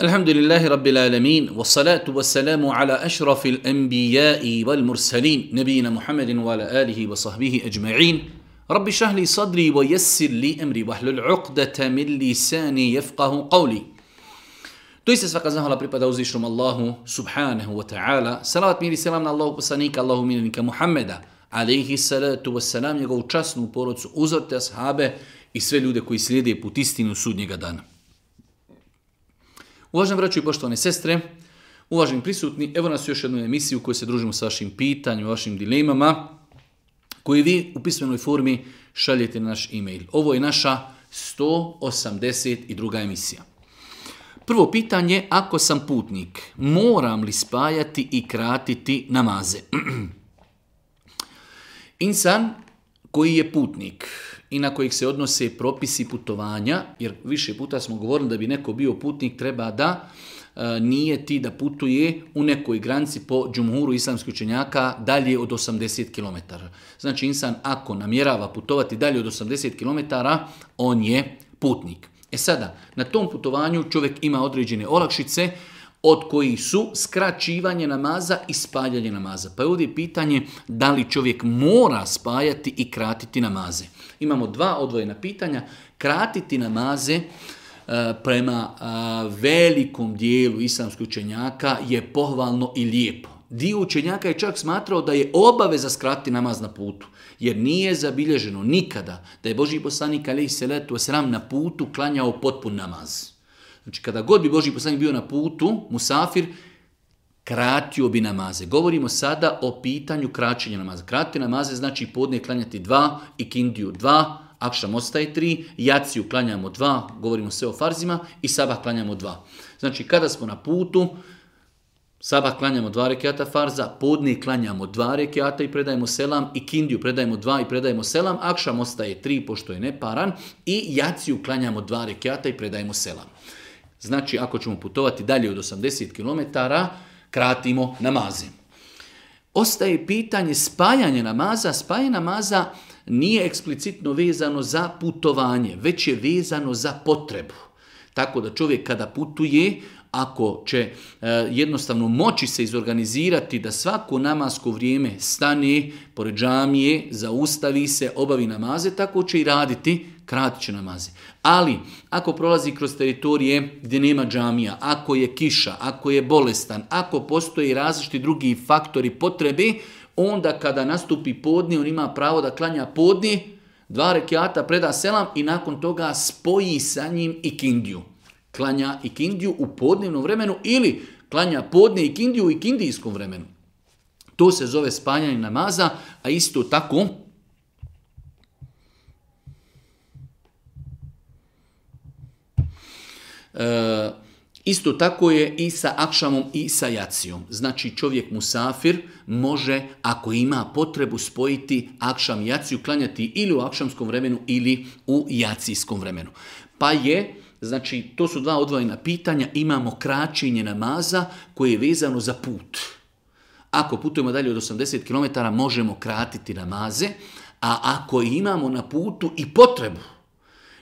Alhamdulillahi Rabbil Alamin, wassalatu wassalamu ala ašrafil anbijai wal mursalin, nebijina Muhammedin wa ala alihi wa sahbihi ajma'in. Rabbi šahli sadri wa yassir li emri wahlul uqdata min lisani yafqahu qawli. Doista svaka zahvala pripada uzvišnom Allahu subhanahu wa ta'ala. Salavat mir i selam na Allahu poslanika, Allahu miljenika Muhammeda, alaihi salatu wassalam, njegovu časnu porodcu, uzorte ashabe i sve ljude koji slijede put istinu sudnjega dana. Uvaženi braćo i poštovane sestre, uvaženi prisutni, evo nas u još jednu emisiju u kojoj se družimo sa vašim pitanjima, vašim dilemama, koje vi u pismenoj formi šaljete na naš e-mail. Ovo je naša 182. emisija. Prvo pitanje, ako sam putnik, moram li spajati i kratiti namaze? Insan koji je putnik i na kojih se odnose propisi putovanja, jer više puta smo govorili da bi neko bio putnik treba da nijeti da putuje u nekoj granici po džumhuru islamskih učenjaka dalje od 80 km. Znači insan ako namjerava putovati dalje od 80 km, on je putnik. E sada, na tom putovanju čovjek ima određene olakšice od kojih su skraćivanje namaza i spajanje namaza. Pa je ovdje pitanje da li čovjek mora spajati i kratiti namaze. Imamo dva odvojena pitanja. Kratiti namaze prema velikom dijelu islamskih učenjaka je pohvalno i lijepo. Dio učenjaka je čak smatrao da je obaveza skratiti namaz na putu, jer nije zabilježeno nikada da je Božji poslanik alejhi selatu vesselam na putu klanjao potpun namaz. Znači kada god bi Božji poslanik bio na putu, musafir, kratio bi namaze. Govorimo sada o pitanju kraćenja namaza. Kratiti namaze znači podne klanjati 2, ikindiju 2, akšam ostaje 3, jaciju klanjamo 2, govorimo sve o farzima, i sabah klanjamo 2. Znači kada smo na putu, sabah klanjamo 2 rekiata farza, podne klanjamo 2 rekiata i predajemo selam, ikindiju predajemo 2 i predajemo selam, akšam ostaje 3 pošto je neparan i jaciju klanjamo 2 rekiata i predajemo selam. Znači ako ćemo putovati dalje od 80 km, kratimo namaze. Ostaje pitanje spajanja namaza. Spajanje namaza nije eksplicitno vezano za putovanje, već je vezano za potrebu. Tako da čovjek kada putuje, ako će jednostavno moći se izorganizirati da svako namasko vrijeme stane pored džamije, zaustavi se, obavi namaze, tako će i raditi, kratit će namaze. Ali ako prolazi kroz teritorije gdje nema džamija, ako je kiša, ako je bolestan, ako postoji različiti drugi faktori potrebe, onda kada nastupi podne, on ima pravo da klanja podne, 2 rekiata, preda selam i nakon toga spoji sa njim ikindiju. Klanja ikindiju u podnevnom vremenu ili klanja podne ikindiju u ikindijskom vremenu. To se zove spajanje namaza, a isto tako isto tako je i sa akšamom i sa jacijom. Znači čovjek musafir može, ako ima potrebu, spojiti akšam i jaciju, klanjati ili u akšamskom vremenu ili u jacijskom vremenu. Pa je, znači to su dva odvojena pitanja, imamo kraćenje namaza koje je vezano za put. Ako putujemo dalje od 80 km možemo kratiti namaze, a ako imamo na putu i potrebu,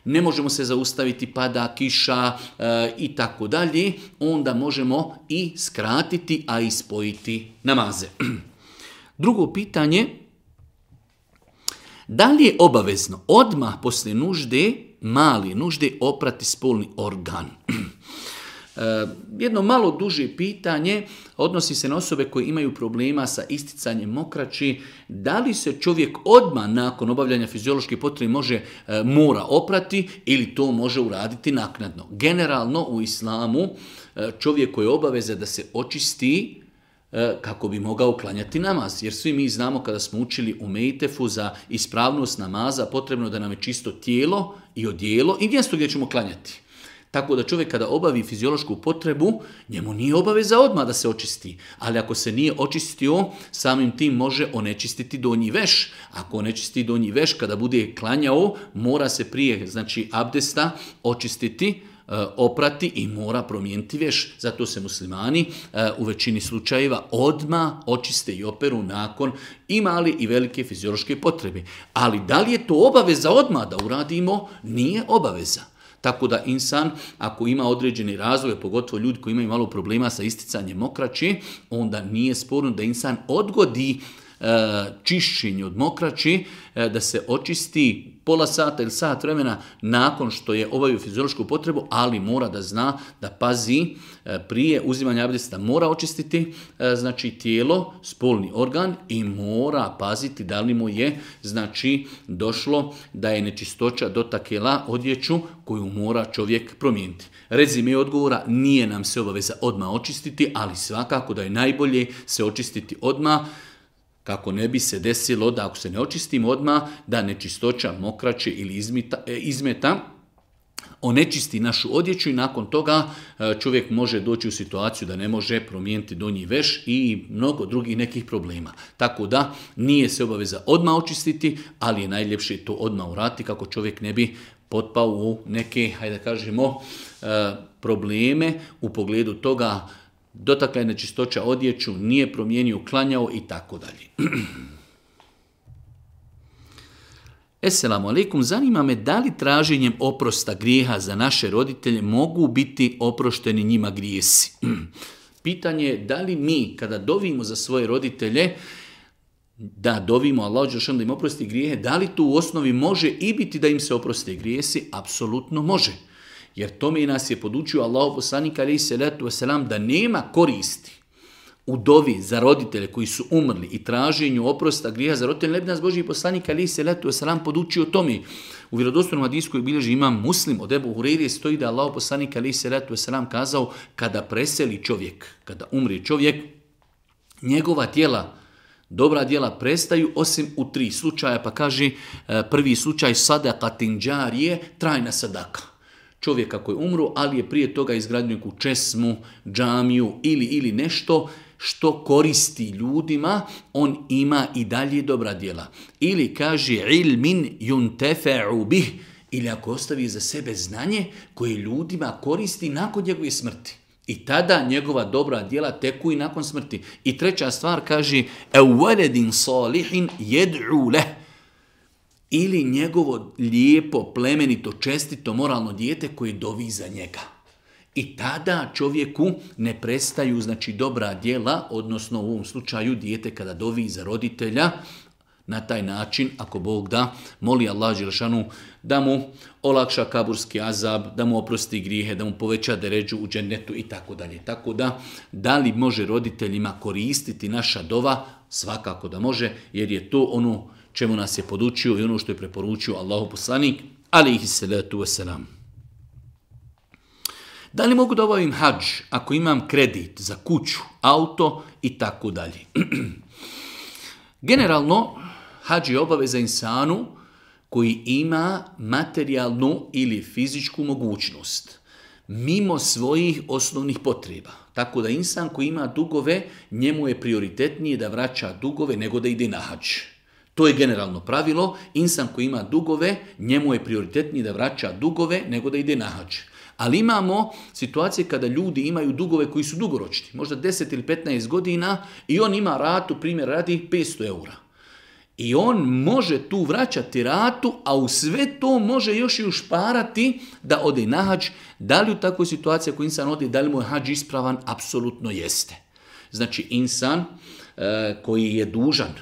ne možemo se zaustaviti, pada kiša i tako dalje, onda možemo i skratiti, a i spojiti namaze. Drugo pitanje, da li je obavezno odmah poslije nužde, mali nužde, oprati spolni organ? Jedno malo duže pitanje odnosi se na osobe koje imaju problema sa isticanjem mokraći. Da li se čovjek odmah nakon obavljanja fiziološke potrebe mora oprati ili to može uraditi naknadno? Generalno u islamu čovjeku je obaveza da se očisti kako bi mogao klanjati namaz. Jer svi mi znamo kada smo učili u Mejtefu za ispravnost namaza potrebno da nam je čisto tijelo i odijelo i mjesto gdje ćemo klanjati. Tako da čovjek kada obavi fiziološku potrebu, njemu nije obaveza odmah da se očisti. Ali ako se nije očistio, samim tim može onečistiti donji veš. Ako onečisti donji veš, kada bude klanjao, mora se prije, znači abdesta, očistiti, oprati i mora promijeniti veš. Zato se muslimani u većini slučajeva odmah očiste i operu nakon i mali i velike fiziološke potrebe. Ali da li je to obaveza odmah da uradimo? Nije obaveza. Tako da insan, ako ima određeni razlog, pogotovo ljudi koji imaju malo problema sa isticanjem mokraći, onda nije sporno da insan odgodi čišćenje od mokraći, da se očisti pola sata ili sat vremena nakon što je obavio fiziološku potrebu, ali mora da zna da pazi prije uzimanja abdesta, mora očistiti znači tijelo, spolni organ i mora paziti da li mu je znači došlo da je nečistoća dotakla odjeću koju mora čovjek promijeniti. Rezime odgovora, nije nam se obaveza odmah očistiti, ali svakako da je najbolje se očistiti odmah, kako ne bi se desilo da ako se ne očistimo odmah, da nečistoća mokraće ili izmeta onečisti našu odjeću i nakon toga čovjek može doći u situaciju da ne može promijeniti donji veš i mnogo drugih nekih problema. Tako da nije se obaveza odmah očistiti, ali je najljepše to odmah uraditi kako čovjek ne bi potpao u neke, hajde da kažemo, probleme u pogledu toga dotakla je nečistoća odjeću, nije promijenio, klanjao i tako dalje. Esselamu alaikum, zanima me da li traženjem oprosta grijeha za naše roditelje mogu biti oprošteni njima grijesi. Pitanje je da li mi kada dovimo za svoje roditelje, da dovimo Allahu dželešanu da im oprosti grijehe, da li tu u osnovi može i biti da im se oproste grijesi? Apsolutno može. Jer tome nas je podučio Allahov poslanik alejhi selatu vesselam da nema koristi u dovi za roditelje koji su umrli i traženju oprosta grijeha za roditelje. Ne bi nas Božji poslanik alejhi selatu vesselam podučio tome. U vjerodostojnom hadisu koji bilježi imam Muslim od Ebu Hurajre stoji da Allahov poslanik alejhi selatu vesselam kazao kada preseli čovjek, kada umri čovjek, njegova djela, dobra djela prestaju osim u 3 slučaja, pa kaže prvi slučaj sadakatin džarije, trajna sadaka. Čovjeka koji umru, ali je prije toga izgradio neku česmu, džamiju ili nešto što koristi ljudima, on ima i dalje dobra djela. Ili kaže ilmin yuntefa'u bih, ili ako ostavi za sebe znanje koje ljudima koristi nakon njegove smrti. I tada njegova dobra djela teku i nakon smrti. I treća stvar kaže ewaladin salihin yad'u leh, ili njegovo lijepo, plemenito, čestito, moralno dijete koje dovi za njega. I tada čovjeku ne prestaju znači dobra djela, odnosno u ovom slučaju dijete kada dovi za roditelja, na taj način, ako Bog da, moli Allah dželešanu da mu olakša kaburski azab, da mu oprosti grijehe, da mu poveća deređu u džennetu i tako dalje. Tako da li može roditeljima koristiti naša dova? Svakako da može, jer je to ono čemu nas je podučio i ono što je preporučio Allahu poslanik alejhi selatu vesselam. Da li mogu da obavim hadž ako imam kredit za kuću, auto i tako dalje? Generalno, hadž je obaveza insanu koji ima materijalnu ili fizičku mogućnost mimo svojih osnovnih potreba. Tako da insan koji ima dugove, njemu je prioritetnije da vraća dugove nego da ide na hadž. To je generalno pravilo. Insan koji ima dugove, njemu je prioritetnije da vraća dugove nego da ide na hadž. Ali imamo situacije kada ljudi imaju dugove koji su dugoročni, možda 10 ili 15 godina i on ima ratu, primjer radi 500 eura. I on može tu vraćati ratu, a u sve to može još i ušparati da ode na hadž. Da li u takvoj situaciji ako insan ode, da li mu je hadž ispravan? Apsolutno jeste. Znači insan koji je dužan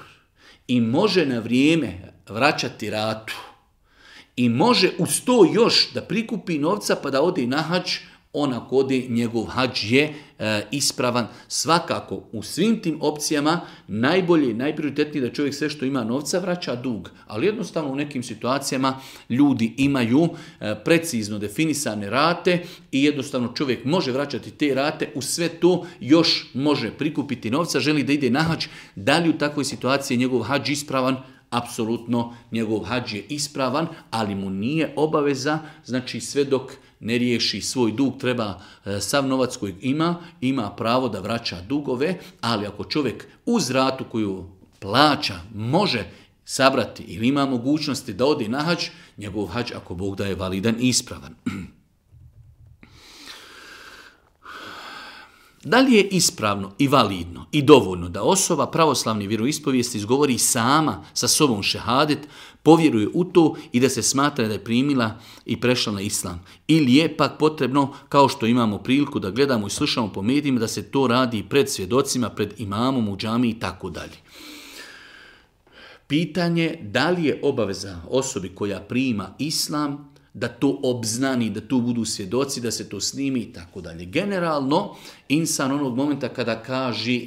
i može na vrijeme vraćati ratu i može uz to još da prikupi novca pa da ode na hadž, on ako ode, njegov hadž je ispravan. Svakako u svim tim opcijama najbolje i najprioritetnije da čovjek sve što ima novca vraća dug. Ali jednostavno u nekim situacijama ljudi imaju precizno definisane rate i jednostavno čovjek može vraćati te rate, uz sve to još može prikupiti novca, želi da ide na hadž. Da li u takvoj situaciji je njegov hadž ispravan? Apsolutno njegov hadž je ispravan, ali mu nije obaveza, znači sve dok ne riješi svoj dug, treba sav novac kojeg ima pravo da vraća dugove, ali ako čovjek uz ratu koju plaća može sabrati ili ima mogućnosti da ode na hadž, njegov hadž ako Bog da je validan i ispravan. Da li je ispravno i validno i dovoljno da osoba pravoslavne vjeroispovijesti izgovori sama sa sobom šehadet, povjeruje u to i da se smatra da je primila i prešla na islam? Ili je pak potrebno, kao što imamo priliku da gledamo i slušamo po medijima, da se to radi pred svjedocima, pred imamom u džamiji i tako dalje? Pitanje da li je obaveza osobi koja prima islam da to obznani, da tu budu svjedoci, da se to snimi i tako dalje. Generalno, insan onog momenta kada kaže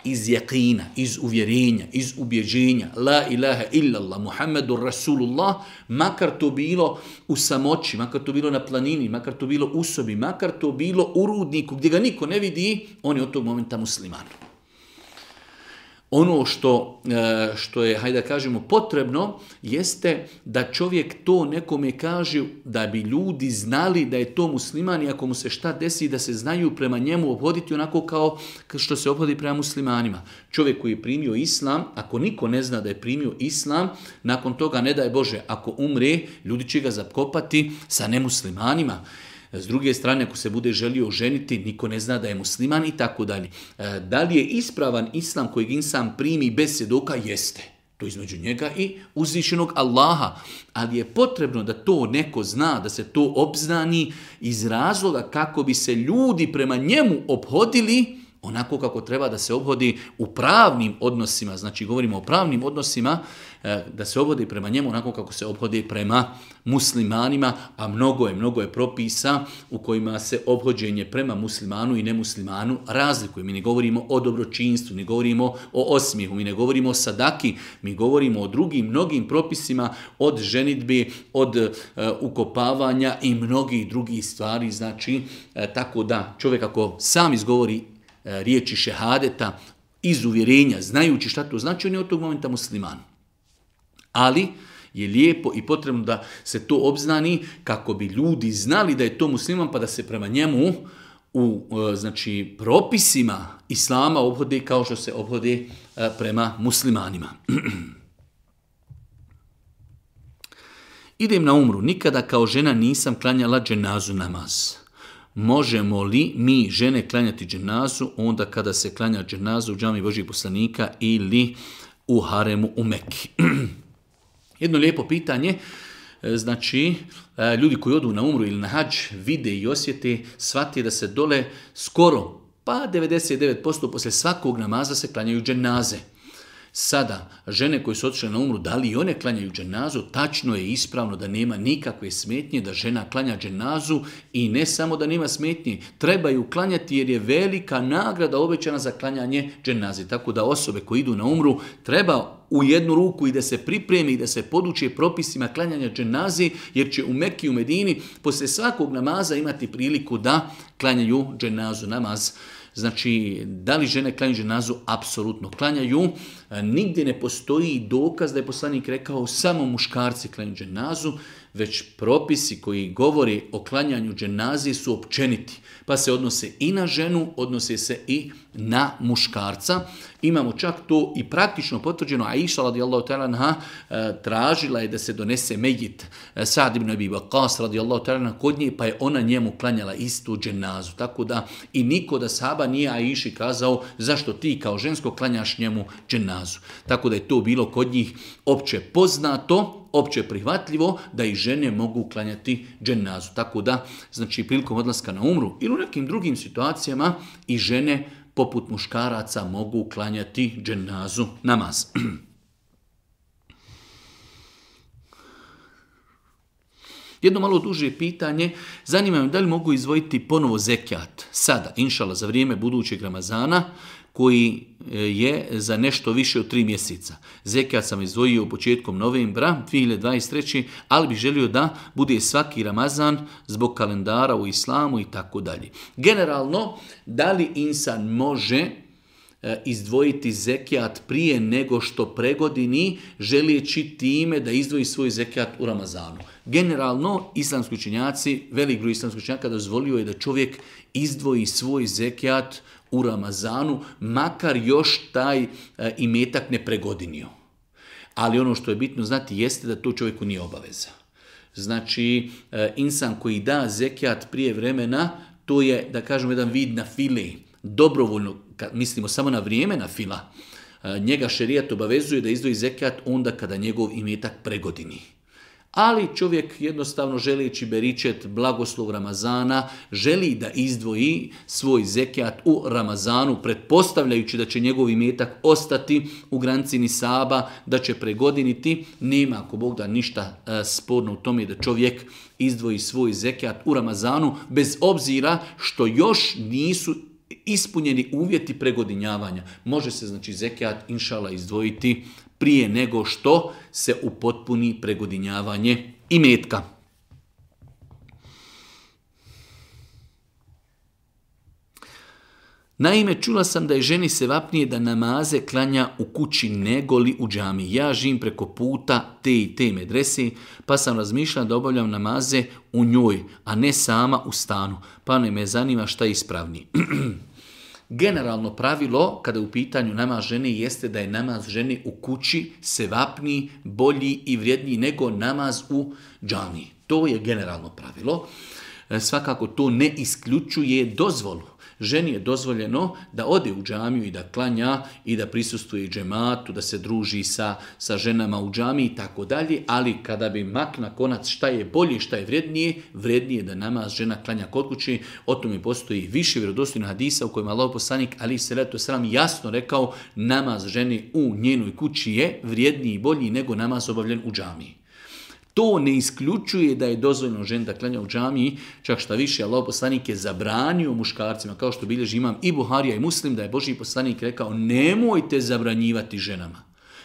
iz jaqina, iz uvjerenja, iz ubjeđenja, la ilaha illallah, Muhammedur Rasulullah, makar to bilo u samoći, makar to bilo na planini, makar to bilo u sobi, makar to bilo u rudniku gdje ga niko ne vidi, on je od tog momenta musliman. Ono što je, hajde da kažemo, potrebno, jeste da čovjek to nekome kaže da bi ljudi znali da je to musliman i ako mu se šta desi da se znaju prema njemu obhoditi onako kao što se obhodi prema muslimanima. Čovjek koji je primio islam, ako niko ne zna da je primio islam, nakon toga, ne daj Bože, ako umre, ljudi će ga zakopati sa nemuslimanima. S druge strane, ako se bude želio oženiti, niko ne zna da je musliman i tako dalje. Da li je ispravan islam kojeg insan primi bez svjedoka? Jeste. To između njega i uzvišenog Allaha. Ali je potrebno da to neko zna, da se to obznani iz razloga kako bi se ljudi prema njemu ophodili onako kako treba da se obhodi u pravnim odnosima. Znači, govorimo o pravnim odnosima, da se obhodi prema njemu onako kako se obhodi prema muslimanima, a mnogo je propisa u kojima se obhođenje prema muslimanu i nemuslimanu razlikuje. Mi ne govorimo o dobročinstvu, ne govorimo o osmijehu, mi ne govorimo o sadaki, mi govorimo o drugim mnogim propisima, od ženidbe, od ukopavanja i mnogih drugih stvari. Znači, tako da čovjek ako sam izgovori riječi šehadeta iz uvjerenja, znajući šta to znači, on je od tog momenta musliman. Ali je lijepo i potrebno da se to obznani kako bi ljudi znali da je to musliman, pa da se prema njemu u propisima islama obhode kao što se obhode prema muslimanima. Idem na umru. Nikada kao žena nisam klanjala dženazu namaz. Možemo li mi žene klanjati dženazu onda kada se klanja dženazu u džami Božjih poslanika ili u haremu u Mekki? Jedno lijepo pitanje. Znači, ljudi koji odu na umru ili na hadž vide i osjete, shvati da se dole skoro, pa 99% poslije svakog namaza se klanjaju dženaze. Sada, žene koje su otišle na umru, da li i one klanjaju dženazu? Tačno je ispravno da nema nikakve smetnje da žena klanja dženazu i ne samo da nema smetnje, treba ju klanjati jer je velika nagrada obećana za klanjanje dženaze. Tako da osobe koje idu na umru treba u jednu ruku i da se pripremi i da se poduče propisima klanjanja dženaze, jer će u Mekki i u Medini poslije svakog namaza imati priliku da klanjaju dženazu namaz. Znači, da li žene klanjaju dženazu? Apsolutno klanjaju. Nigdje ne postoji dokaz da je poslanik rekao samo muškarci klanjaju dženazu, već propisi koji govori o klanjanju dženazi su općeniti. Pa se odnose i na ženu, odnose se i na muškarca. Imamo čak to i praktično potvrđeno. Aisha radijallahu ta'ala anha tražila je da se donese mejit Sa'd ibn Abi Waqqas radijallahu ta'ala anha kod nje, pa je ona njemu klanjala istu dženazu. Tako da i niko da sahaba nije Aiši kazao zašto ti kao žensko klanjaš njemu dženazu. Tako da je to bilo kod njih opće poznato, opće prihvatljivo da i žene mogu klanjati dženazu. Tako da, znači, prilikom odlaska na umru ili u nekim drugim situacijama i žene poput muškaraca mogu klanjati dženazu namaz. Jedno malo duže pitanje, zanima me da li mogu izdvojiti ponovo zekijat sada, inšala, za vrijeme budućeg Ramazana, koji je za nešto više od 3 mjeseca. Zekijat sam izdvojio početkom novembra 2023. ali bih želio da bude svaki Ramazan zbog kalendara u islamu i tako dalje. Generalno, da li insan može izdvojiti zekijat prije nego što pregodini, želijeći time da izdvoji svoj zekijat u Ramazanu? Generalno, islamski učenjaci, velik broj islamskih učenjaka dozvolio je da čovjek izdvoji svoj zekijat u Ramazanu, makar još taj imetak ne pregodinio. Ali ono što je bitno znati jeste da to čovjeku nije obaveza. Znači, insan koji da zekijat prije vremena, to je, da kažem, jedan vid na file. dobrovoljno, mislimo samo na vrijeme na fila, njega šerijat obavezuje da izdvoji zekat onda kada njegov imetak pregodini. Ali čovjek jednostavno želeći beričet blagoslov Ramazana, želi da izdvoji svoj zekat u Ramazanu, pretpostavljajući da će njegov imetak ostati u granici nisaba, da će pregodiniti. Nema, ako Bog da, ništa sporno u tome da čovjek izdvoji svoj zekat u Ramazanu, bez obzira što još nisu ispunjeni uvjeti pregodinjavanja. Može se znači zekat inšala izdvojiti prije nego što se upotpuni pregodinjavanje imetka. Naime, čula sam da je ženi sevapnije da namaze klanja u kući nego li u džami. Ja živim preko puta te i te medrese, pa sam razmišljala da obavljam namaze u njoj, a ne sama u stanu. Pa me zanima šta je ispravniji. Generalno pravilo, kada je u pitanju namaz žene, jeste da je namaz žene u kući sevapniji, bolji i vrijedniji nego namaz u džamiji. To je generalno pravilo. Svakako to ne isključuje dozvolu. Ženi je dozvoljeno da ode u džamiju i da klanja i da prisustvuje džematu, da se druži sa ženama u džamiji i tako dalje, ali kada bi makna konac šta je bolje, šta je vrijednije da namaz žena klanja kod kući. O tome postoji više vjerodostojnih hadisa u kojima Allahov poslanik alejhi selatu vesselam jasno rekao namaz žene u njenoj kući je vrijedniji i bolji nego namaz obavljen u džamiji. To ne isključuje da je dozvoljeno ženi da klanja u džamiji, čak šta više, Allahov poslanik je zabranio muškarcima, kao što bilježi imam i Buharija i Muslim, da je Božji poslanik rekao nemojte zabranjivati ženama.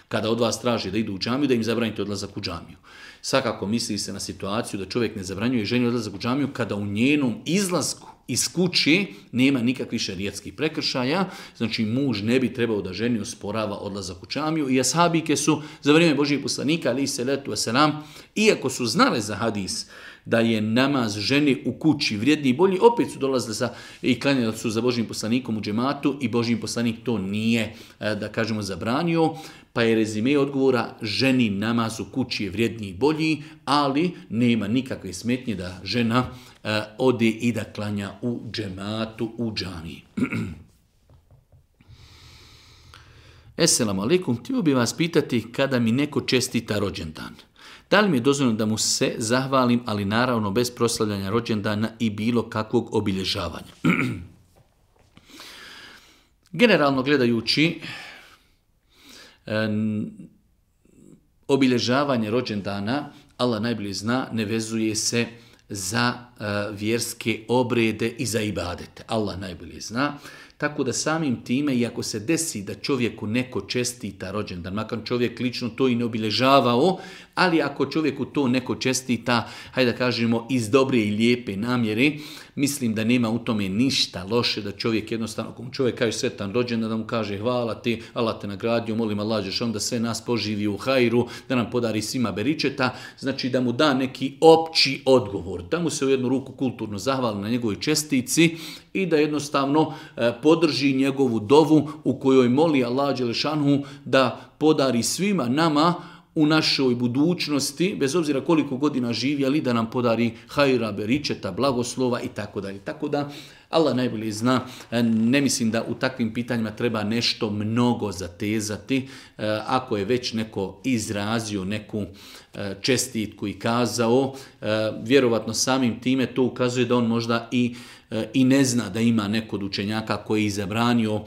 Kada od vas traži da idu u džamiju, da im zabranite odlazak u džamiju. Svakako misli se na situaciju da čovjek ne zabranjuje ženi odlazak u džamiju kada u njenom izlasku iz kuće nema nikakvih šerijatskih prekršaja, znači muž ne bi trebao da ženi osporava odlazak u džamiju i ashabike su za vrijeme Božjeg poslanika alejhi selatu vesselam, iako su znale za hadis da je namaz ženi u kući vrijedniji i bolji, opet su dolazili i klanjali su za Božjim poslanikom u džematu i Božji poslanik to nije, da kažemo, zabranio, pa je rezime odgovora ženi namaz u kući je vrijedniji i bolji, ali nema nikakve smetnje da žena ode i da klanja u džematu, u džamiji. Esselamu alaikum, htio bih vas pitati kada mi neko čestita rođendan. Da li mi je dozvoljeno da mu se zahvalim, ali naravno bez proslavljanja rođendana i bilo kakvog obilježavanja? Generalno gledajući, obilježavanje rođendana, Allah najbolje zna, ne vezuje se za vjerske obrede i za ibadete. Allah najbolje zna. Tako da samim time, iako se desi da čovjeku neko čestita rođendan, makar čovjek lično to i ne obilježavao, ali ako čovjeku to neko čestita, hajde da kažemo iz dobre i lijepe namjere, mislim da nema u tome ništa loše da čovjek jednostavno, ako mu čovjek kaže sretan rođendan, da mu kaže hvala ti, Allah te nagradio, molim Allah dželešanu da sve nas poživi u hajru, da nam podari svima beričeta, znači da mu da neki opći odgovor, da mu se u jednu ruku kulturno zahvali na njegovoj čestici i da jednostavno podrži njegovu dovu u kojoj moli Allah dželešanu da podari svima nama u našoj budućnosti, bez obzira koliko godina živjeli, da nam podari hajra, beričeta, blagoslova i tako dalje. Tako da Allah najbolje zna, ne mislim da u takvim pitanjima treba nešto mnogo zatezati. Ako je već neko izrazio neku čestitku i kazao, vjerovatno samim time to ukazuje da on možda i ne zna da ima neko od učenjaka koji je zabranio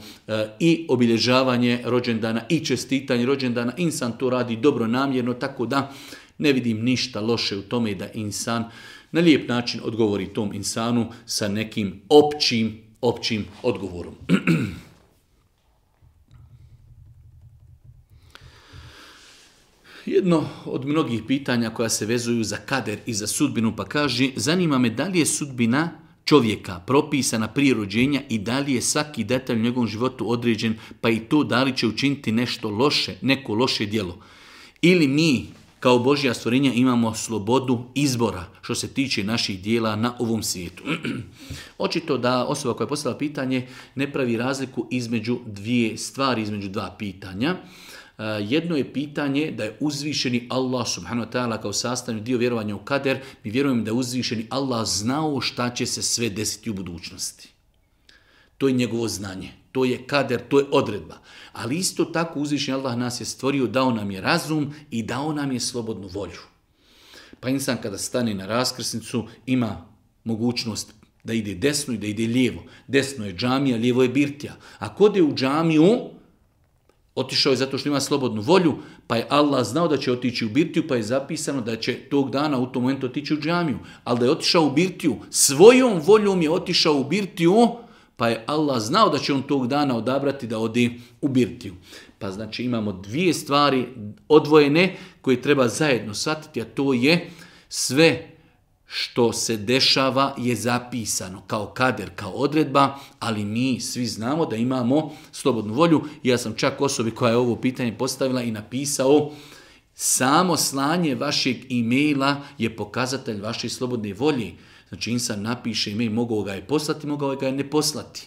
i obilježavanje rođendana i čestitanje rođendana. Insan to radi dobronamjerno, tako da ne vidim ništa loše u tome da insan na lijep način odgovori tom insanu sa nekim općim odgovorom. Jedno od mnogih pitanja koja se vezuju za kader i za sudbinu, pa kaže, zanima me da li je sudbina čovjeka propisana prije rođenja i da li je svaki detalj u njegovom životu određen, pa i to da li će učiniti nešto loše, neko loše djelo. Ili mi kao Božja stvorenja imamo slobodu izbora što se tiče naših dijela na ovom svijetu. Očito da osoba koja je postavila pitanje ne pravi razliku između dvije stvari, između dva pitanja. Jedno je pitanje da je uzvišeni Allah subhanahu wa ta'ala kao sastavni dio vjerovanja u kader. Mi vjerujemo da je uzvišeni Allah znao šta će se sve desiti u budućnosti. To je njegovo znanje, to je kader, to je odredba. Ali isto tako uzvišeni Allah nas je stvorio, dao nam je razum i dao nam je slobodnu volju. Pa insan kada stane na raskrsnicu ima mogućnost da ide desno i da ide lijevo. Desno je džamija, lijevo je birtija. Ako ode u džamiju, otišao je zato što ima slobodnu volju, pa je Allah znao da će otići u birtiju, pa je zapisano da će tog dana u tom momentu otići u džamiju. Ali da je otišao u birtiju, svojom voljom je otišao u birtiju, pa je Allah znao da će on tog dana odabrati da ode u birtiju. Pa znači imamo dvije stvari odvojene koje treba zajedno shvatiti, a to je sve što se dešava je zapisano kao kader, kao odredba, ali mi svi znamo da imamo slobodnu volju. Ja sam čak osobi koja je ovo pitanje postavila i napisao, samo slanje vašeg e-maila je pokazatelj vaše slobodne volje. Znači insan napiše e-mail, mogao ga je poslati, mogao ga je ne poslati.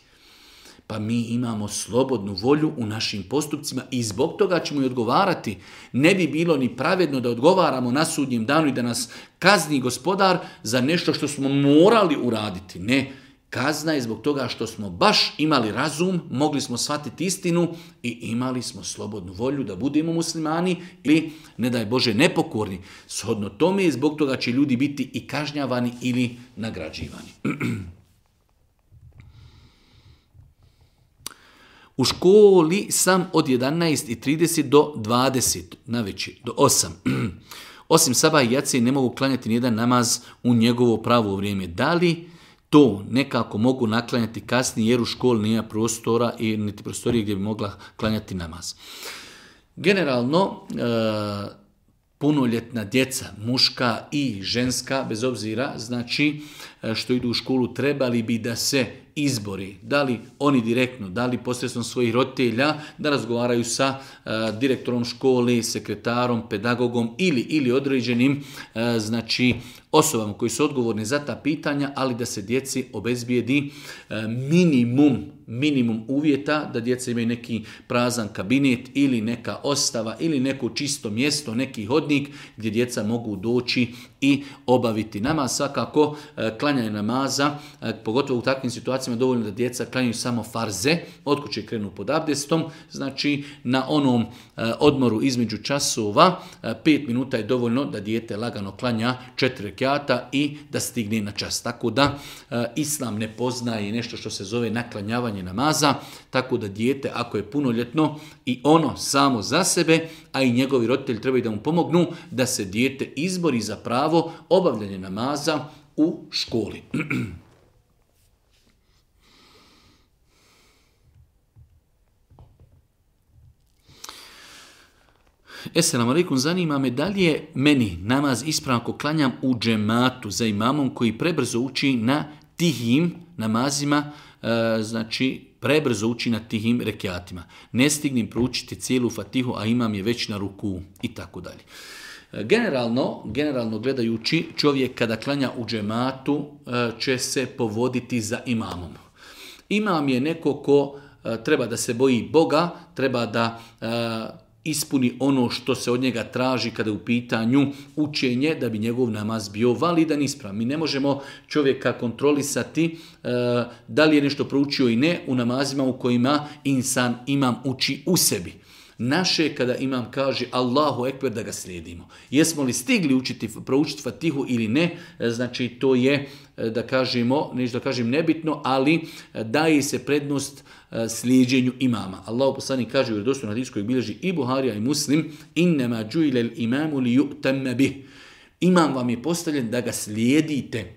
Pa mi imamo slobodnu volju u našim postupcima i zbog toga ćemo i odgovarati. Ne bi bilo ni pravedno da odgovaramo na sudnjem danu i da nas kazni gospodar za nešto što smo morali uraditi. Ne, kazna je zbog toga što smo baš imali razum, mogli smo shvatiti istinu i imali smo slobodnu volju da budemo muslimani ili, ne daj Bože, nepokorni. Shodno tome, zbog toga će ljudi biti i kažnjavani ili nagrađivani. U školi sam od 11:30 do 20, navečer, do 8. Osim sabah i jacije ne mogu klanjati nijedan namaz u njegovo pravo vrijeme. Da li to nekako mogu naklanjati kasnije jer u školi nije prostora i niti prostorije gdje bi mogla klanjati namaz? Generalno, punoljetna djeca, muška i ženska, bez obzira, znači što idu u školu, trebali bi da se izbori, da li oni direktno, da li posredstvom svojih roditelja, da razgovaraju sa direktorom škole, sekretarom, pedagogom ili određenim znači osobama koji su odgovorni za ta pitanja, ali da se djeci obezbijedi minimum uvjeta, da djeca imaju neki prazan kabinet ili neka ostava ili neko čisto mjesto, neki hodnik gdje djeca mogu doći i obaviti namaz. Svakako klanjanje namaza, pogotovo u takvim situacijama dovoljno da djeca klanjaju samo farze, od kuće krenu pod abdestom, znači na onom odmoru između časova 5 minuta je dovoljno da dijete lagano klanja 4 rekjata i da stigne na čas. Tako da Islam ne poznaje nešto što se zove naklanjavanje namaza, tako da dijete ako je punoljetno i ono samo za sebe, a i njegovi roditelji trebaju da mu pomognu da se dijete izbori za pravo obavljanje namaza u školi. Esselamu alaikum, zanima me da li je meni namaz ispravan ako klanjam u džematu za imamom koji prebrzo uči na tihim namazima, znači prebrzo uči na tihim rekiatima. Ne stignem proučiti cijelu fatihu, a imam je već na ruku i tako dalje. Generalno gledajući, čovjek kada klanja u džematu će se povoditi za imamom. Imam je neko ko treba da se boji Boga, treba da ispuni ono što se od njega traži kada je u pitanju učenje, da bi njegov namaz bio validan i ispravan. Mi ne možemo čovjeka kontrolisati da li je nešto proučio i ne u namazima u kojima imam uči u sebi. Naše kada imam kaže Allahu ekber da ga slijedimo. Jesmo li stigli proučiti fatihu ili ne, znači to je da kažemo, neću da kažem nebitno, ali daje se prednost slijeđenju imama. Allahu poslanik kaže u vjerodostojnom hadisu koji bilježi i Buharija i Muslim: "Innama ju'ila al-imamu li yu'tamma bih." Imam vam je postavljen da ga slijedite.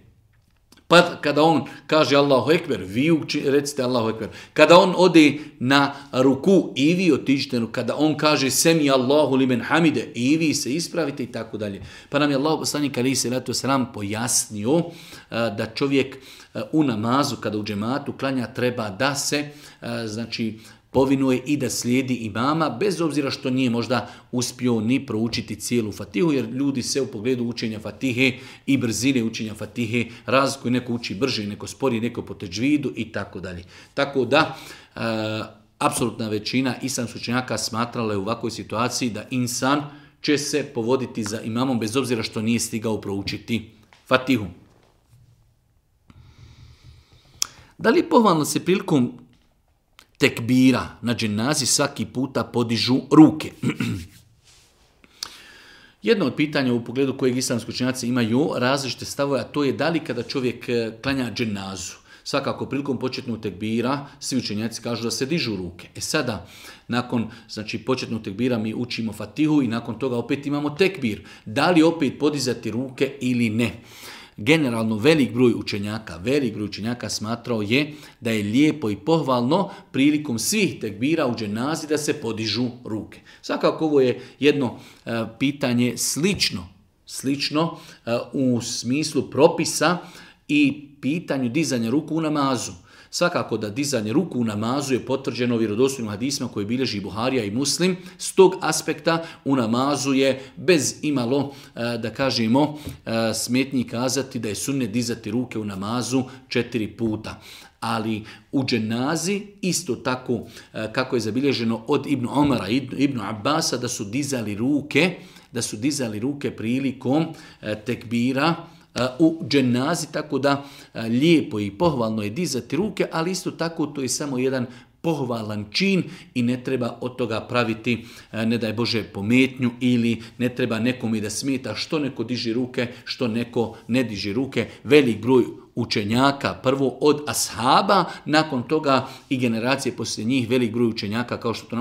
Pa kada on kaže Allahu ekber, vi recite Allahu ekber. Kada on ode na ruku, i vi otiđite. Kada on kaže semi Allahu limen hamide, i vi se ispravite i tako dalje. Pa nam je Allahu poslanik alejhi selatu selam pojasnio da čovjek u namazu kada u džematu klanja treba da se znači povinuje i da slijedi imama, bez obzira što nije možda uspio ni proučiti cijelu fatihu, jer ljudi se u pogledu učenja fatihe i brzine učenja fatihe razlikuju, neko uči brže, neko sporije, neko po teđvidu i tako dalje. Tako da, apsolutna većina islamskih učenjaka smatrala je u ovakvoj situaciji da insan će se povoditi za imamom bez obzira što nije stigao proučiti fatihu. Da li pohvalno se prilikom tekbira na dženazi svaki puta podižu ruke. Jedno od pitanja u pogledu kojeg islamski učenjaci imaju različite stavove, a to je da li kada čovjek klanja dženazu, svakako prilikom početnog tekbira, svi učenjaci kažu da se dižu ruke. Sada, nakon početnog tekbira mi učimo Fatihu i nakon toga opet imamo tekbir. Da li opet podizati ruke ili ne? Generalno velik broj učenjaka smatrao je da je lijepo i pohvalno prilikom svih tekbira u dženazi da se podižu ruke. Svakako ovo je jedno pitanje slično u smislu propisa i pitanju dizanja ruku u namazu. Svakako da dizanje ruku u namazu je potvrđeno vjerodostojnim hadisima koje bilježi Buharija i Muslim. S tog aspekta u namazu je bez imalo, da kažemo, smetnji kazati da je sunnet dizati ruke u namazu 4 puta. Ali u dženazi isto tako kako je zabilježeno od Ibn Omara i Ibn Abbasa da su dizali ruke prilikom tekbira u dženazi, tako da lijepo i pohvalno je dizati ruke, ali isto tako to je samo jedan pohvalan čin i ne treba od toga praviti, ne daj Bože, pometnju ili ne treba nekome da smeta što neko diži ruke, što neko ne diži ruke. Velik broj učenjaka, prvo od ashaba, nakon toga i generacije poslije njih, velik broj učenjaka, kao što to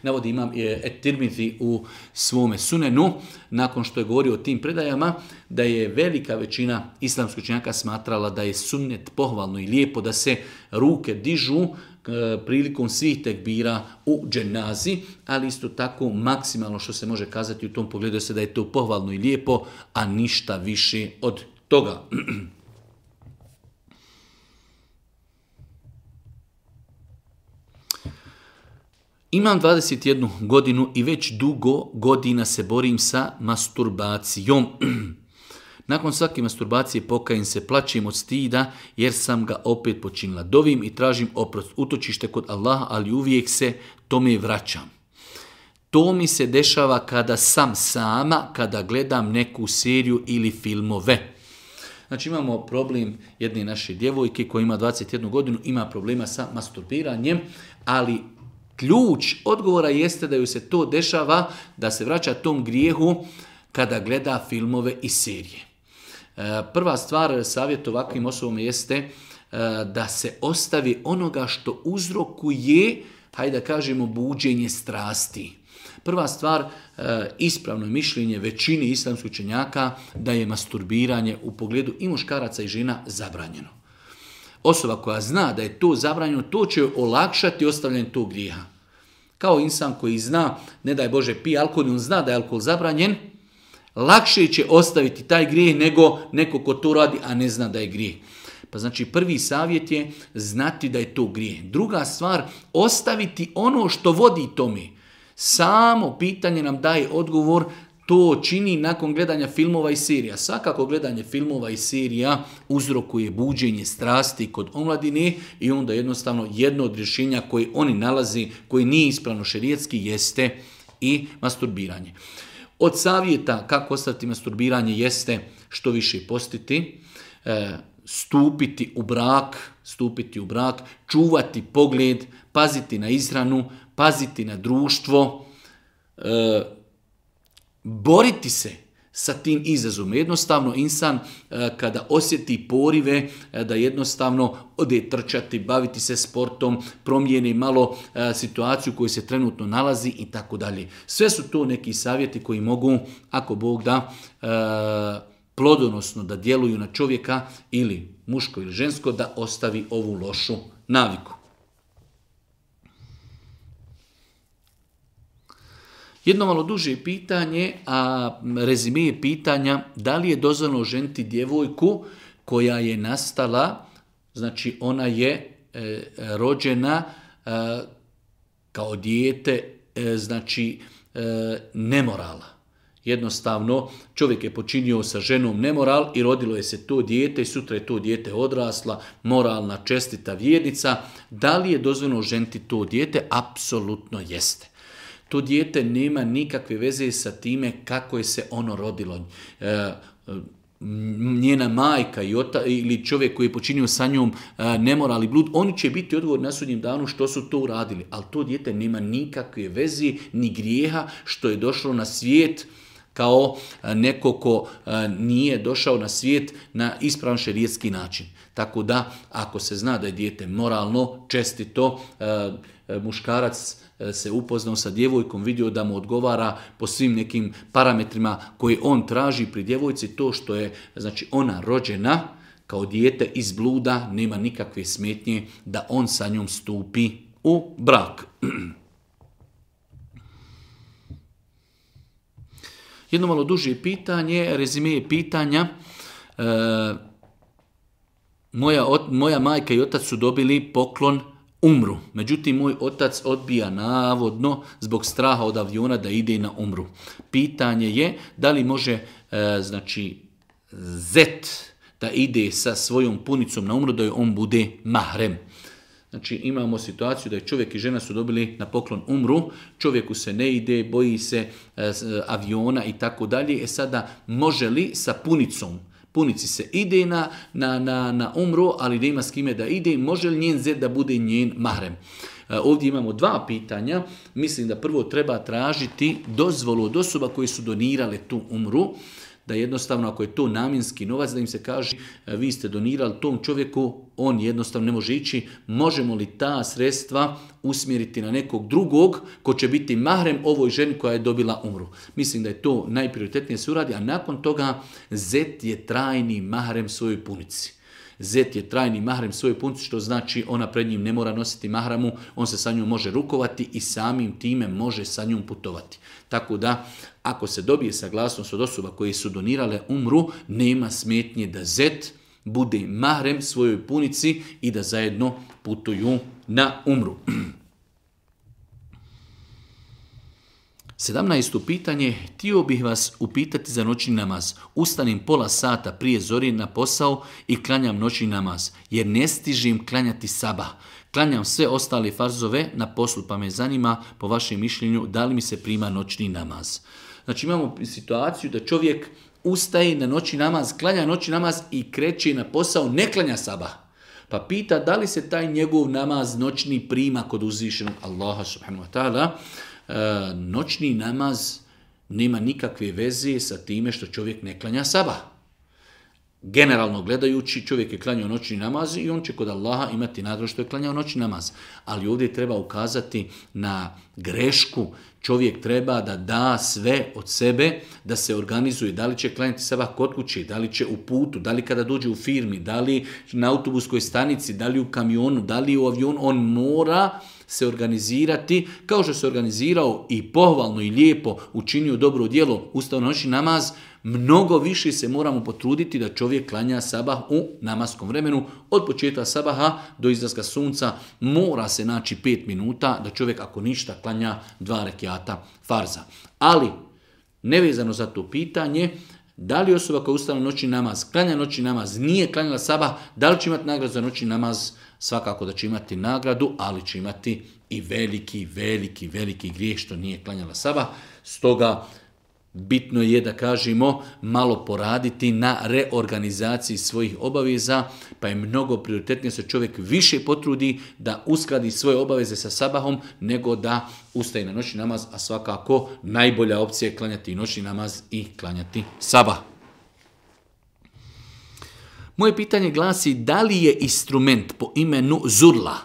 navodi imam Et-Tirmizi u svome sunenu, nakon što je govorio o tim predajama, da je velika većina islamskih učenjaka smatrala da je sunnet pohvalno i lijepo da se ruke dižu prilikom svih tekbira u dženazi, ali isto tako maksimalno što se može kazati u tom pogledu se da je to pohvalno i lijepo, a ništa više od toga. Imam 21 godinu i već dugo godina se borim sa masturbacijom. Nakon svake masturbacije pokajem se, plačem od stida jer sam ga opet počinila. Dovim i tražim oprost, utočište kod Allaha, ali uvijek se tome vraćam. To mi se dešava kada sam sama, kada gledam neku seriju ili filmove. Znači imamo problem jedne naše djevojke koja ima 21 godinu, ima problema sa masturbiranjem, ali ključ odgovora jeste da ju se to dešava, da se vraća tom grijehu kada gleda filmove i serije. Prva stvar, savjet ovakvim osobama jeste da se ostavi onoga što uzrokuje, hajde da kažemo, buđenje strasti. Prva stvar, ispravno mišljenje većine islamskih učenjaka da je masturbiranje u pogledu i muškaraca i žena zabranjeno. Osoba koja zna da je to zabranjeno, to će olakšati ostavljanje tog grijeha. Kao insan koji zna, ne daj Bože, pije alkohol, on zna da je alkohol zabranjen, lakše će ostaviti taj grijeh nego neko ko to radi, a ne zna da je grijeh. Pa znači prvi savjet je znati da je to grijeh. Druga stvar, ostaviti ono što vodi tome. Samo pitanje nam daje odgovor, to čini nakon gledanja filmova i serija. Svakako gledanje filmova i serija uzrokuje buđenje strasti kod omladine i onda jednostavno jedno od rješenja koje oni nalazi, koji nije ispravno šerijetski, jeste i masturbiranje. Od savjeta kako ostaviti masturbiranje jeste što više postiti, stupiti u brak, čuvati pogled, paziti na ishranu, paziti na društvo, boriti se sa tim izazovom. Jednostavno insan kada osjeti porive da jednostavno ode trčati, baviti se sportom, promijeni malo situaciju u kojoj se trenutno nalazi i tako dalje. Sve su to neki savjeti koji mogu, ako Bog da, plodonosno da djeluju na čovjeka ili muško ili žensko da ostavi ovu lošu naviku. Jedno malo duže pitanje, a rezime je pitanja da li je dozvoljeno ženiti djevojku koja je nastala, znači ona je rođena kao dijete, znači nemorala. Jednostavno, čovjek je počinio sa ženom nemoral i rodilo je se to dijete i sutra je to dijete odrasla, moralna, čestita vjernica. Da li je dozvoljeno ženiti to dijete? Apsolutno jeste. To dijete nema nikakve veze sa time kako je se ono rodilo. njena majka ili čovjek koji je počinio sa njom nemoral i blud, oni će biti odgovorni na sudnjem danu što su to uradili. Ali to dijete nema nikakve veze ni grijeha što je došlo na svijet kao neko ko nije došao na svijet na ispravan šerijatski način. Tako da, ako se zna da je dijete moralno, čestito, muškarac se upoznao sa djevojkom, vidio da mu odgovara po svim nekim parametrima koje on traži pri djevojci, to što je znači ona rođena kao dijete iz bluda, nema nikakve smetnje da on sa njom stupi u brak. Jedno malo duže pitanje, rezime je pitanja. Moja majka i otac su dobili poklon umru. Međutim, moj otac odbija navodno zbog straha od aviona da ide na umru. Pitanje je da li može zet da ide sa svojom punicom na umru da joj on bude mahrem. Znači imamo situaciju da je čovjek i žena su dobili na poklon umru, čovjeku se ne ide, boji se aviona i tako dalje. Sada može li sa punicom, punici se ide na umru, ali da ima s kime da ide, može li njen zet da bude njen mahrem? Ovdje imamo dva pitanja. Mislim da prvo treba tražiti dozvolu od osoba koje su donirale tu umru, da jednostavno ako je to namjenski novac, da im se kaže vi ste donirali tom čovjeku, on jednostavno ne može ići, možemo li ta sredstva usmjeriti na nekog drugog ko će biti mahrem ovoj ženi koja je dobila umru. Mislim da je to najprioritetnije se uradi, a nakon toga zet je trajni mahrem svojoj punici. Zet je trajni mahrem svojoj punici, što znači ona pred njim ne mora nositi mahramu, on se sa njom može rukovati i samim time može sa njom putovati. Tako da, ako se dobije saglasnost od osoba koje su donirale umru, nema smetnje da zet bude mahrem svojoj punici i da zajedno putuju na umru. 17. pitanje, htio bih vas upitati za noćni namaz. Ustanem pola sata prije zori na posao i klanjam noćni namaz, jer ne stižem klanjati sabah. Klanjam sve ostale farzove na poslu, pa me zanima po vašem mišljenju da li mi se prima noćni namaz. Znači imamo situaciju da čovjek ustaje na noćni namaz, klanja noćni namaz i kreće na posao, ne klanja sabah. Pa pita da li se taj njegov namaz noćni prima kod uzvišenog Allaha subhanahu wa ta'ala. Noćni namaz nema nikakve veze sa time što čovjek ne klanja sabah. Generalno gledajući, čovjek je klanjao noćni namaz i on će kod Allaha imati nagradu što je klanjao noćni namaz. Ali ovdje treba ukazati na grešku. Čovjek treba da da sve od sebe, da se organizuje. Da li će klanjati sabah kod kuće, da li će u putu, da li kada dođe u firmi, da li na autobuskoj stanici, da li u kamionu, da li u avionu. On mora se organizirati kao što se organizirao i pohvalno i lijepo učinio dobro djelo, ustao noćni namaz. Mnogo više se moramo potruditi da čovjek klanja sabah u namaskom vremenu. Od početka sabaha do izlaska sunca mora se naći 5 minuta da čovjek ako ništa klanja 2 rekiata farza. Ali, nevezano za to pitanje, da li osoba koja ustane noćni namaz, klanja noćni namaz, nije klanjala sabah, da li će imati nagradu za noćni namaz? Svakako da će imati nagradu, ali će imati i veliki grijeh što nije klanjala sabah. Stoga, bitno je da kažemo malo poraditi na reorganizaciji svojih obaveza, pa je mnogo prioritetnije se čovjek više potrudi da uskladi svoje obaveze sa sabahom nego da ustaje na noćni namaz, a svakako najbolja opcija je klanjati noćni namaz i klanjati sabah. Moje pitanje glasi da li je instrument po imenu zurla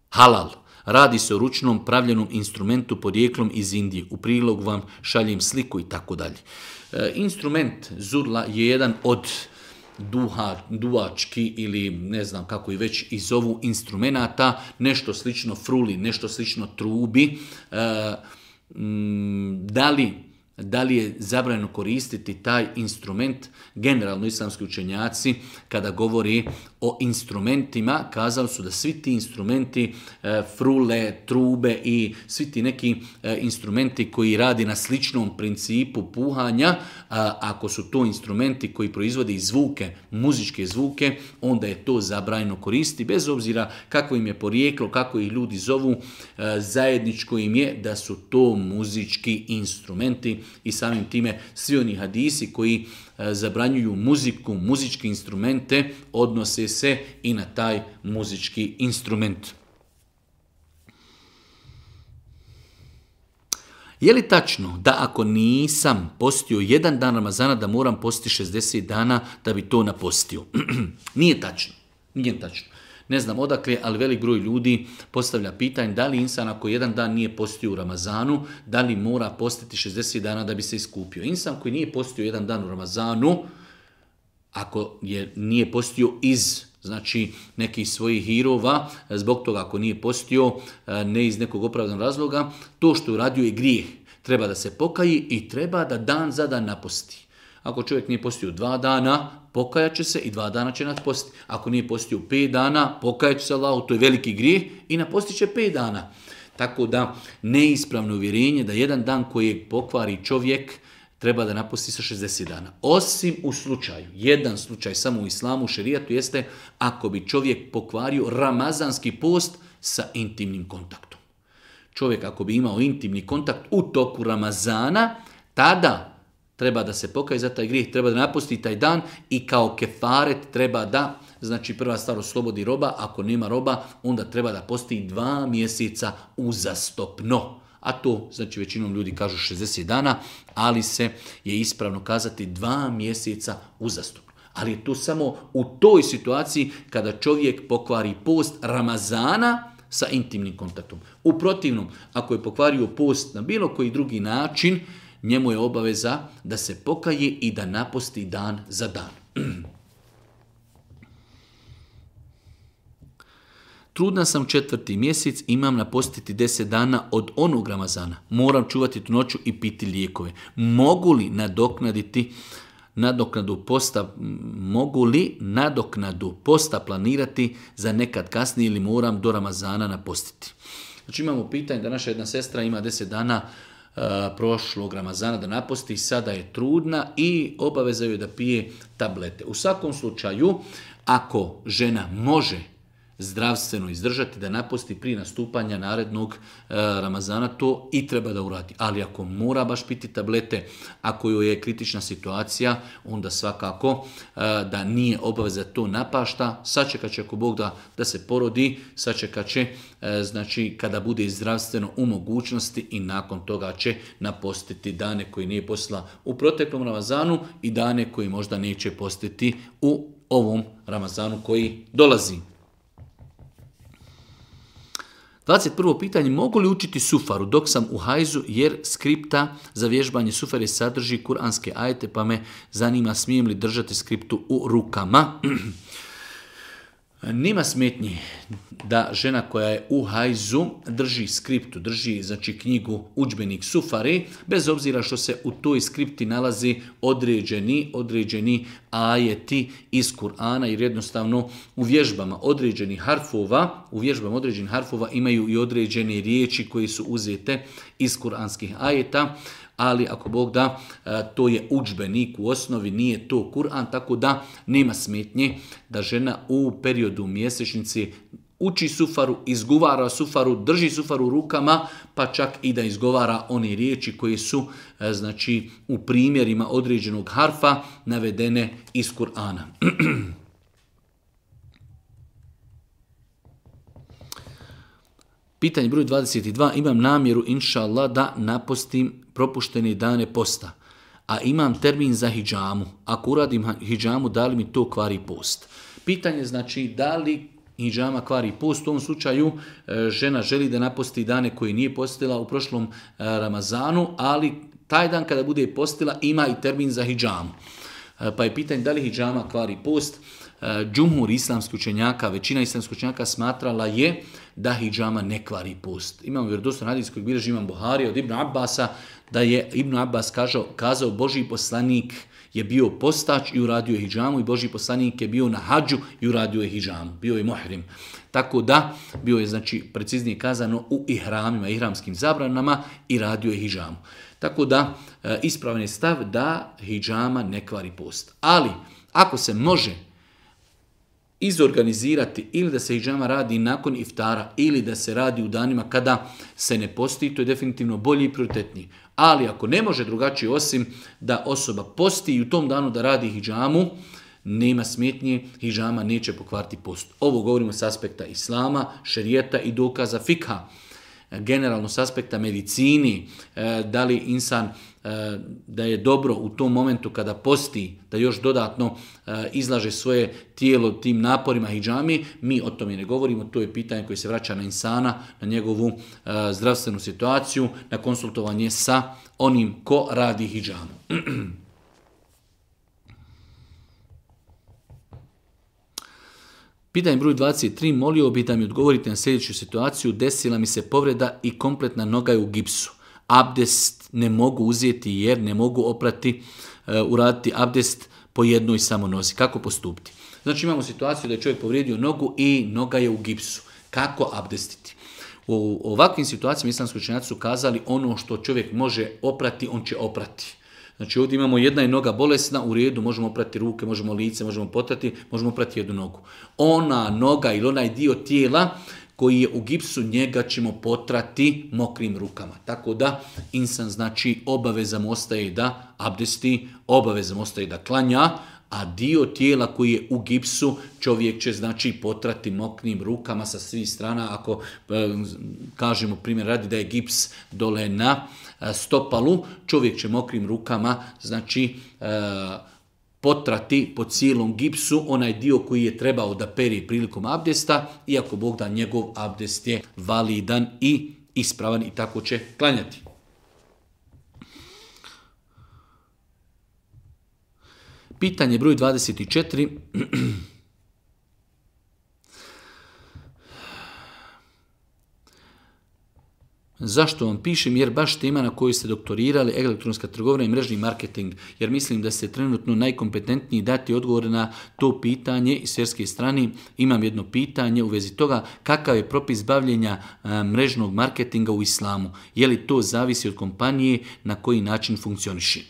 halal? Radi se o ručnom pravljenom instrumentu podrijetlom iz Indije. U prilog vam šaljem sliku i tako dalje. Instrument zurla je jedan od duvački ili ne znam kako i već i zovu instrumenata, nešto slično fruli, nešto slično trubi. Da li je zabranjeno koristiti taj instrument? Generalno islamski učenjaci kada govori o instrumentima kazali su da svi ti instrumenti, frule, trube i svi ti neki instrumenti koji radi na sličnom principu puhanja, ako su to instrumenti koji proizvode i zvuke, muzičke zvuke, onda je to zabranjeno koristiti bez obzira kako im je porijeklo, kako ih ljudi zovu, zajedničko im je da su to muzički instrumenti. i samim time svi oni hadisi koji zabranjuju muziku, muzičke instrumente, odnose se i na taj muzički instrument. Je li tačno da ako nisam postio jedan dan Ramazana da moram postiti 60 dana da bi to napostio? Nije tačno. Nije tačno. Ne znam odakle, ali velik broj ljudi postavlja pitanje da li insan ako jedan dan nije postio u Ramazanu, da li mora postiti 60 dana da bi se iskupio. Insan koji nije postio jedan dan u Ramazanu, ako nije postio iz nekih svojih hirova, zbog toga ako nije postio, ne iz nekog opravdanog razloga, to što je uradio je grijeh. Treba da se pokaji i treba da dan za dan naposti. Ako čovjek nije postio 2 dana, pokajat će se i 2 dana će napostiti. Ako nije postio 5 dana, pokajat će se Allahu, to je veliki grijeh i napostit će 5 dana. Tako da neispravno uvjerenje da jedan dan kojeg pokvari čovjek treba da naposti sa 60 dana. Osim u slučaju, jedan slučaj samo u islamu, u šerijatu jeste ako bi čovjek pokvario ramazanski post sa intimnim kontaktom. Čovjek ako bi imao intimni kontakt u toku Ramazana, tada treba da se pokaje za taj grijeh, treba da napusti taj dan i kao kefaret treba da, prva stvar oslobodi roba, ako nema roba, onda treba da posti 2 mjeseca uzastopno. A to, većinom ljudi kažu 60 dana, ali se je ispravno kazati 2 mjeseca uzastopno. Ali je to samo u toj situaciji kada čovjek pokvari post Ramazana sa intimnim kontaktom. U protivnom, ako je pokvario post na bilo koji drugi način, njemu je obaveza da se pokaje i da naposti dan za dan. Trudna sam 4. mjesec, imam napostiti 10 dana od onog Ramazana. Moram čuvati tu noću i piti lijekove. Mogu li nadoknadu posta planirati za nekad kasnije ili moram do Ramazana napostiti? Imamo pitanje da naša jedna sestra ima 10 dana prošlog Ramazana da naposti, sada je trudna i obaveza joj da pije tablete. U svakom slučaju, ako žena može zdravstveno izdržati da naposti prije nastupanja narednog Ramazana, to i treba da uradi. Ali ako mora baš piti tablete, ako joj je kritična situacija, onda svakako da nije obaveza to napašta, sačekat će ako Bog da se porodi, sačekat će kada bude zdravstveno u mogućnosti i nakon toga će napostiti dane koje nije postila u proteklom Ramazanu i dane koje možda neće postiti u ovom Ramazanu koji dolazi. 21. pitanje, mogu li učiti sufaru dok sam u hajzu jer skripta za vježbanje sufare sadrži kuranske ajete pa me zanima smijem li držati skriptu u rukama? Nema smetnji da žena koja je u hajzu drži skriptu, drži knjigu, udžbenik sufari, bez obzira što se u toj skripti nalazi određeni ajeti iz Kur'ana, jer jednostavno u vježbama određenih harfova imaju i određene riječi koje su uzete iz kuranskih ajeta, ali ako Bog da, to je udžbenik u osnovi, nije to Kur'an, tako da nema smetnje da žena u periodu mjesečnice uči sufaru, izgovara sufaru, drži sufaru u rukama, pa čak i da izgovara one riječi koje su u primjerima određenog harfa navedene iz Kur'ana. Pitanje broj 22. Imam namjeru, inša Allah, da napostim propuštene dane posta, a imam termin za hidžamu. Ako uradim hidžamu, da li mi to kvari post? Pitanje da li hidžama kvari post. U ovom slučaju žena želi da naposti dane koje nije postila u prošlom Ramazanu, ali taj dan kada bude postila ima i termin za hidžamu. Pa je pitanje da li hidžama kvari post. Džumhur islamskih učenjaka, većina islamskih učenjaka smatrala je da hidžama ne kvari post. Imamo vjerodostojan hadis kojeg bilježi Imam Buhari od Ibn Abbasa, da je Ibn Abbas kazao Božji poslanik je bio postač i uradio je hidžamu i Božji poslanik je bio na hadžu i uradio je hidžamu. Bio je muhrim. Tako da bio je preciznije kazano u ihramima, ihramskim zabranama i radio je hidžamu. Tako da ispravan je stav da hidžama ne kvari post. Ali ako se može izorganizirati ili da se hidžama radi nakon iftara ili da se radi u danima kada se ne posti, to je definitivno bolji i prioritetniji. Ali ako ne može drugačije osim da osoba posti i u tom danu da radi hidžamu, nema smetnje, hidžama neće pokvariti post. Ovo govorimo s aspekta islama, šerijeta i dokaza fikha. Generalno s aspekta medicini, da li insan da je dobro u tom momentu kada posti, da još dodatno izlaže svoje tijelo tim naporima hidžami, mi o tome ne govorimo, to je pitanje koje se vraća na insana, na njegovu zdravstvenu situaciju, na konsultovanje sa onim ko radi hidžamu. Pitanje broj 23. Molio bih da mi odgovorite na sljedeću situaciju. Desila mi se povreda i kompletna noga je u gipsu. Abdest ne mogu uzeti jer ne mogu uraditi abdest po jednoj samo nozi. Kako postupiti? Znači imamo situaciju da je čovjek povrijedio nogu i noga je u gipsu. Kako abdestiti? U ovakvim situacijama islamski učenjaci su kazali ono što čovjek može oprati, on će oprati. Znači ovdje imamo jedna je noga bolesna, u redu, možemo oprati ruke, možemo lice, možemo potrati, možemo oprati jednu nogu. Ona noga ili onaj dio tijela koji je u gipsu, njega ćemo potrati mokrim rukama. Tako da insan znači obaveza mu ostaje da abdesti, obaveza mu ostaje da klanja, a dio tijela koji je u gipsu čovjek će znači potrati mokrim rukama sa svih strana. Ako kažemo primjer radi da je gips dole na stopalu, čovjek će mokrim rukama znači potrati po cijelom gipsu onaj dio koji je trebao da peri prilikom abdesta, iako Bog da njegov abdest je validan i ispravan i tako će klanjati. Pitanje broj 24. Zašto vam pišem? Jer baš tema na kojoj ste doktorirali, elektronska trgovina i mrežni marketing, jer mislim da ste trenutno najkompetentniji dati odgovor na to pitanje iz svjetske strane. Imam jedno pitanje u vezi toga, kakav je propis bavljenja mrežnog marketinga u islamu? Je li to zavisi od kompanije, na koji način funkcioniši?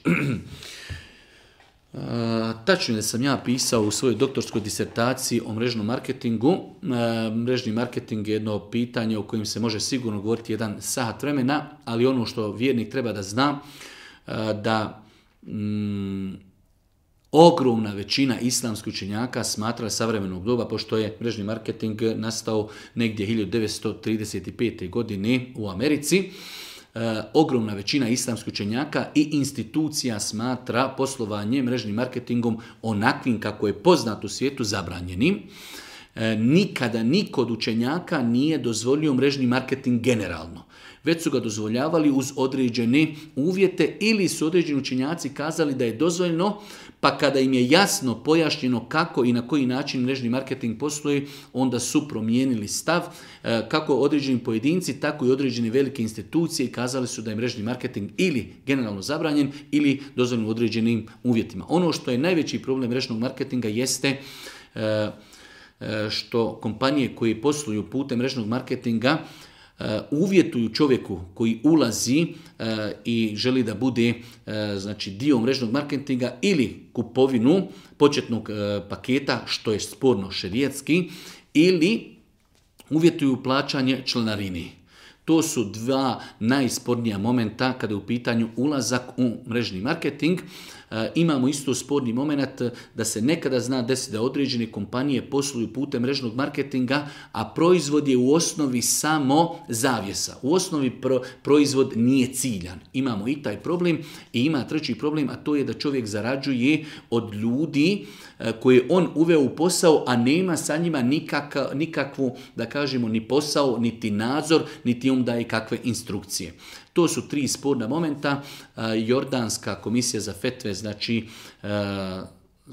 Tačno je da sam ja pisao u svojoj doktorskoj disertaciji o mrežnom marketingu. Mrežni marketing je jedno pitanje o kojem se može sigurno govoriti 1 sat vremena, ali ono što vjernik treba da zna, da ogromna većina islamskih učenjaka smatra savremenog doba, pošto je mrežni marketing nastao negdje 1935. godine u Americi, ogromna većina islamskih učenjaka i institucija smatra poslovanje mrežnim marketingom onakvim kako je poznat u svijetu zabranjenim. Nikada niko od učenjaka nije dozvolio mrežni marketing generalno, već su ga dozvoljavali uz određene uvjete ili su određeni učenjaci kazali da je dozvoljeno, pa kada im je jasno pojašnjeno kako i na koji način mrežni marketing posluje, onda su promijenili stav, kako određeni pojedinci, tako i određene velike institucije i kazali su da je mrežni marketing ili generalno zabranjen ili dozvoljen u određenim uvjetima. Ono što je najveći problem mrežnog marketinga jeste što kompanije koje posluju putem mrežnog marketinga uvjetuju čovjeku koji ulazi i želi da bude znači dio mrežnog marketinga ili kupovinu početnog paketa, što je sporno šerijatski, ili uvjetuju plaćanje članarini. To su 2 najspornija momenta kada je u pitanju ulazak u mrežni marketing. Imamo isto sporni moment da se nekada zna desiti da određene kompanije posluju putem mrežnog marketinga, a proizvod je u osnovi samo zavjesa. U osnovi proizvod nije ciljan. Imamo i taj problem i ima treći problem, a to je da čovjek zarađuje od ljudi koje on uveo u posao, a nema sa njima nikakvu, da kažemo, ni posao, niti nadzor, niti on daje kakve instrukcije. To su 3 sporna momenta. Jordanska komisija za fetve znači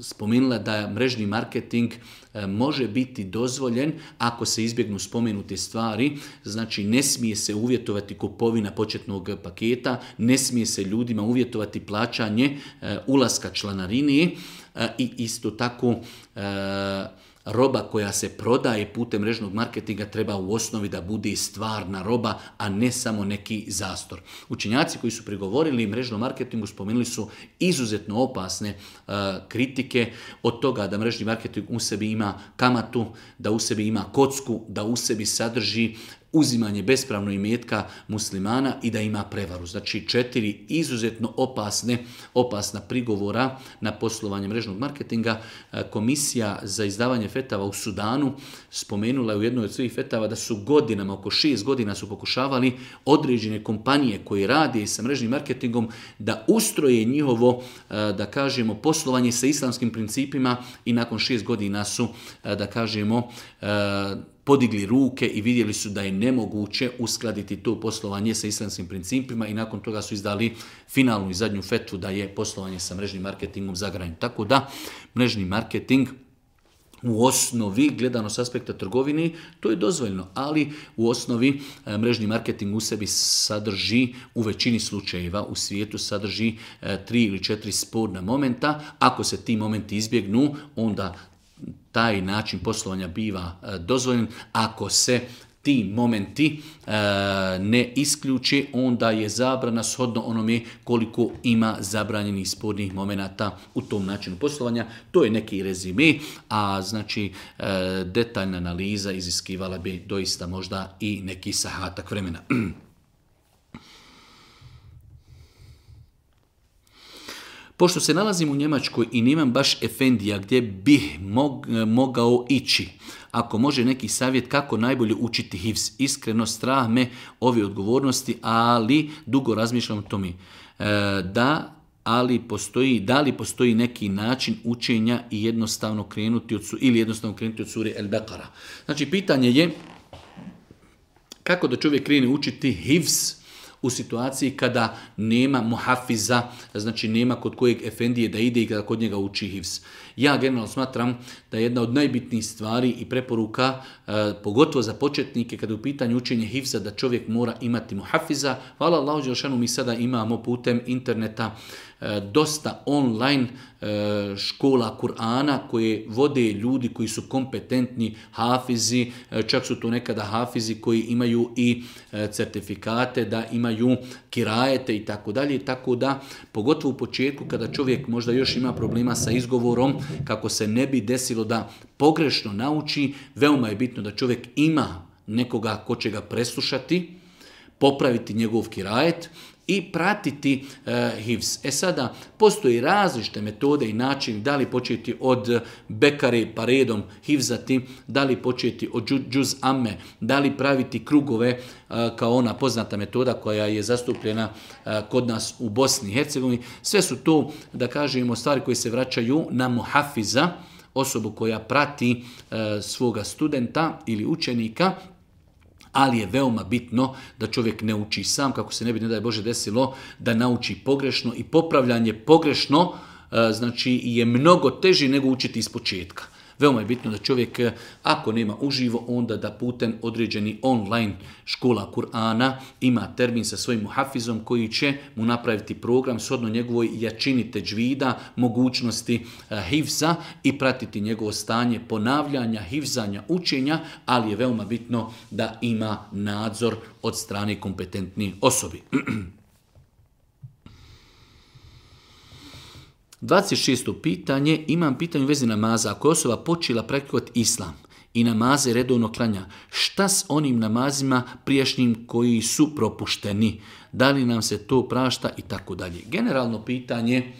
spomenula da mrežni marketing može biti dozvoljen ako se izbjegnu spomenute stvari. Znači ne smije se uvjetovati kupovina početnog paketa, ne smije se ljudima uvjetovati plaćanje ulaska članarini i isto tako roba koja se prodaje putem mrežnog marketinga treba u osnovi da bude stvarna roba, a ne samo neki zastor. Učenjaci koji su prigovorili mrežnom marketingu spomenuli su izuzetno opasne kritike od toga da mrežni marketing u sebi ima kamatu, da u sebi ima kocku, da u sebi sadrži uzimanje bespravno imetka muslimana i da ima prevaru. Znači 4 izuzetno opasna prigovora na poslovanje mrežnog marketinga. Komisija za izdavanje fetava u Sudanu spomenula je u jednoj od svojih fetava da su godinama, oko 6 godina su pokušavali određene kompanije koje rade sa mrežnim marketingom da ustroje njihovo, da kažemo, poslovanje sa islamskim principima i nakon 6 godina su, da kažemo, podigli ruke i vidjeli su da je nemoguće uskladiti to poslovanje sa islamskim principima i nakon toga su izdali finalnu i zadnju fetvu da je poslovanje sa mrežnim marketingom zabranjeno. Tako da mrežni marketing u osnovi, gledano s aspekta trgovine, to je dozvoljeno, ali u osnovi mrežni marketing u sebi sadrži, u većini slučajeva u svijetu sadrži 3 ili 4 sporna momenta. Ako se ti momenti izbjegnu, onda taj način poslovanja biva dozvoljen. Ako se ti momenti ne isključe, onda je zabrana shodno onome koliko ima zabranjenih spornih momenata u tom načinu poslovanja. To je neki rezime, a znači detaljna analiza iziskivala bi doista možda i neki sahatak vremena. Pošto se nalazim u Njemačkoj i nemam baš efendija gdje bih mogao ići, ako može neki savjet kako najbolje učiti hifz, iskreno strah me ove odgovornosti, ali dugo razmišljam o tome. Da li postoji neki način učenja i jednostavno krenuti od sure El-Bekara. Znači, pitanje je kako da čovjek krene učiti hifz u situaciji kada nema muhafiza, znači nema kod kojeg efendije da ide i kada kod njega uči hifz. Ja generalno smatram da je jedna od najbitnijih stvari i preporuka, pogotovo za početnike, kada je u pitanju učenje hifza, da čovjek mora imati muhafiza. Hvala Allahu dželešanu, mi sada imamo putem interneta dosta online škola Kur'ana koje vode ljudi koji su kompetentni hafizi, čak su to nekada hafizi koji imaju i certifikate, da imaju kirajete i tako dalje, tako da pogotovo u početku kada čovjek možda još ima problema sa izgovorom, kako se ne bi desilo da pogrešno nauči, veoma je bitno da čovjek ima nekoga ko će ga preslušati, popraviti njegov kirajet i pratiti hifz. Sada, postoji različite metode i način da li početi od bekare pa redom hifzati, da li početi od džuz amme, da li praviti krugove kao ona poznata metoda koja je zastupljena kod nas u Bosni i Hercegovini. Sve su to, da kažemo, stvari koje se vraćaju na muhafiza, osobu koja prati svoga studenta ili učenika, ali je veoma bitno da čovjek ne uči sam, kako se ne bi, ne daj Bože, desilo da nauči pogrešno, i popravljanje pogrešno znači je mnogo teži nego učiti iz početka. Veoma je bitno da čovjek, ako nema uživo, onda da putem određeni online škola Kur'ana ima termin sa svojim muhafizom koji će mu napraviti program shodno njegovoj jačini teđvida, mogućnosti hifza i pratiti njegovo stanje ponavljanja, hifzanja, učenja, ali je veoma bitno da ima nadzor od strane kompetentnih osobi. 26. pitanje, imam pitanje u vezi namaza. Ako je osoba počela praktikovati islam i namaze redovno klanja, šta s onim namazima prijašnjim koji su propušteni? Da li nam se to prašta i tako dalje? Generalno pitanje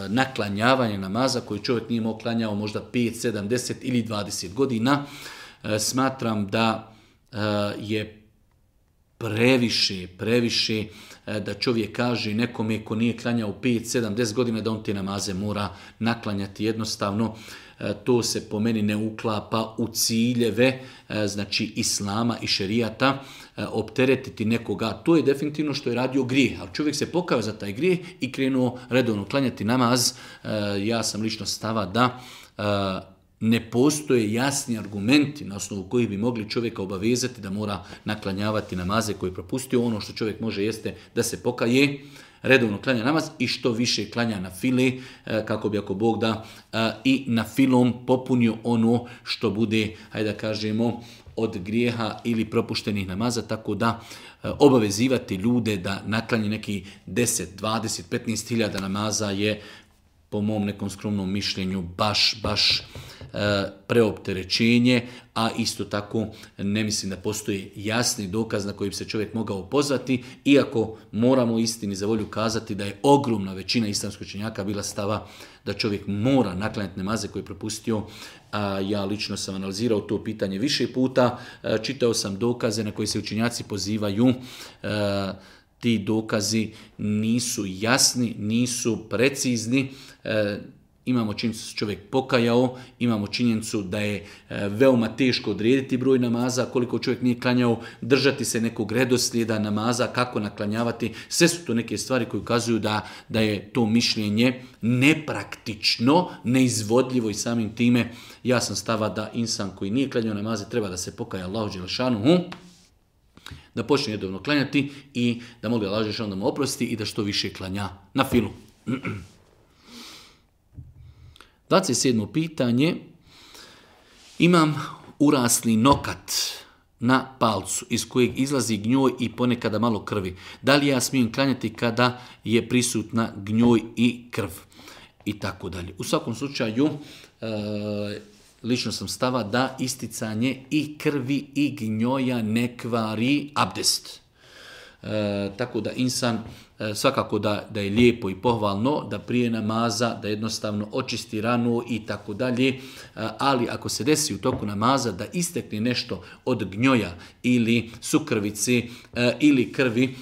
naklanjavanja namaza koji čovjek nije mogao klanjao možda 5, 7, 10 ili 20 godina, smatram da je previše da čovjek kaže nekome ko nije klanjao 5, 7, 10 godina da on te namaze mora naklanjati. Jednostavno to se po meni ne uklapa u ciljeve znači islama i šerijata. Opteretiti nekoga, to je definitivno što je radio grijeh, ali čovjek se pokajao za taj grijeh i krenuo redovno klanjati namaz. Ja sam lično stava da ne postoje jasni argumenti na osnovu kojih bi mogli čovjeka obavezati da mora naklanjavati namaze koje je propustio. Ono što čovjek može jeste da se pokaje, redovno klanja namaz i što više klanja na file, kako bi ako Bog da i na filom popunio ono što bude, hajde da kažemo, od grijeha ili propuštenih namaza, tako da obavezivati ljude da naklanje neki 10, 20, 15 hiljada namaza je po mom nekom skromnom mišljenju baš preopterećenje, a isto tako ne mislim da postoji jasni dokaz na koji bi se čovjek mogao pozvati, iako moramo istini za volju kazati da je ogromna većina islamskih učenjaka bila stava da čovjek mora naklanjati namaze koje je propustio. Ja lično sam analizirao to pitanje više puta, čitao sam dokaze na koje se učenjaci pozivaju. Ti dokazi nisu jasni, nisu precizni. Imamo činjenicu da se čovjek pokajao, imamo činjenicu da je veoma teško odrediti broj namaza, koliko čovjek nije klanjao, držati se nekog redoslijeda namaza, kako naklanjavati. Sve su to neke stvari koje ukazuju da je to mišljenje nepraktično, neizvodljivo i samim time ja sam stava da insan koji nije klanjao namaze treba da se pokaja Allahu dželešanuhu, da počne redovno klanjati i da moli Allahu dželešanuhu da mu oprosti i da što više klanja na filu. 27. pitanje. Imam urasli nokat na palcu iz kojeg izlazi gnjoj i ponekada malo krvi. Da li ja smijem klanjati kada je prisutna gnjoj i krv? I tako dalje. U svakom slučaju, lično sam stava da isticanje i krvi i gnjoja ne kvari abdest. Tako da insan svakako da je lijepo i pohvalno da prije namaza da jednostavno očisti ranu i tako dalje, ali ako se desi u toku namaza da istekne nešto od gnjoja ili sukrvice ili krvi,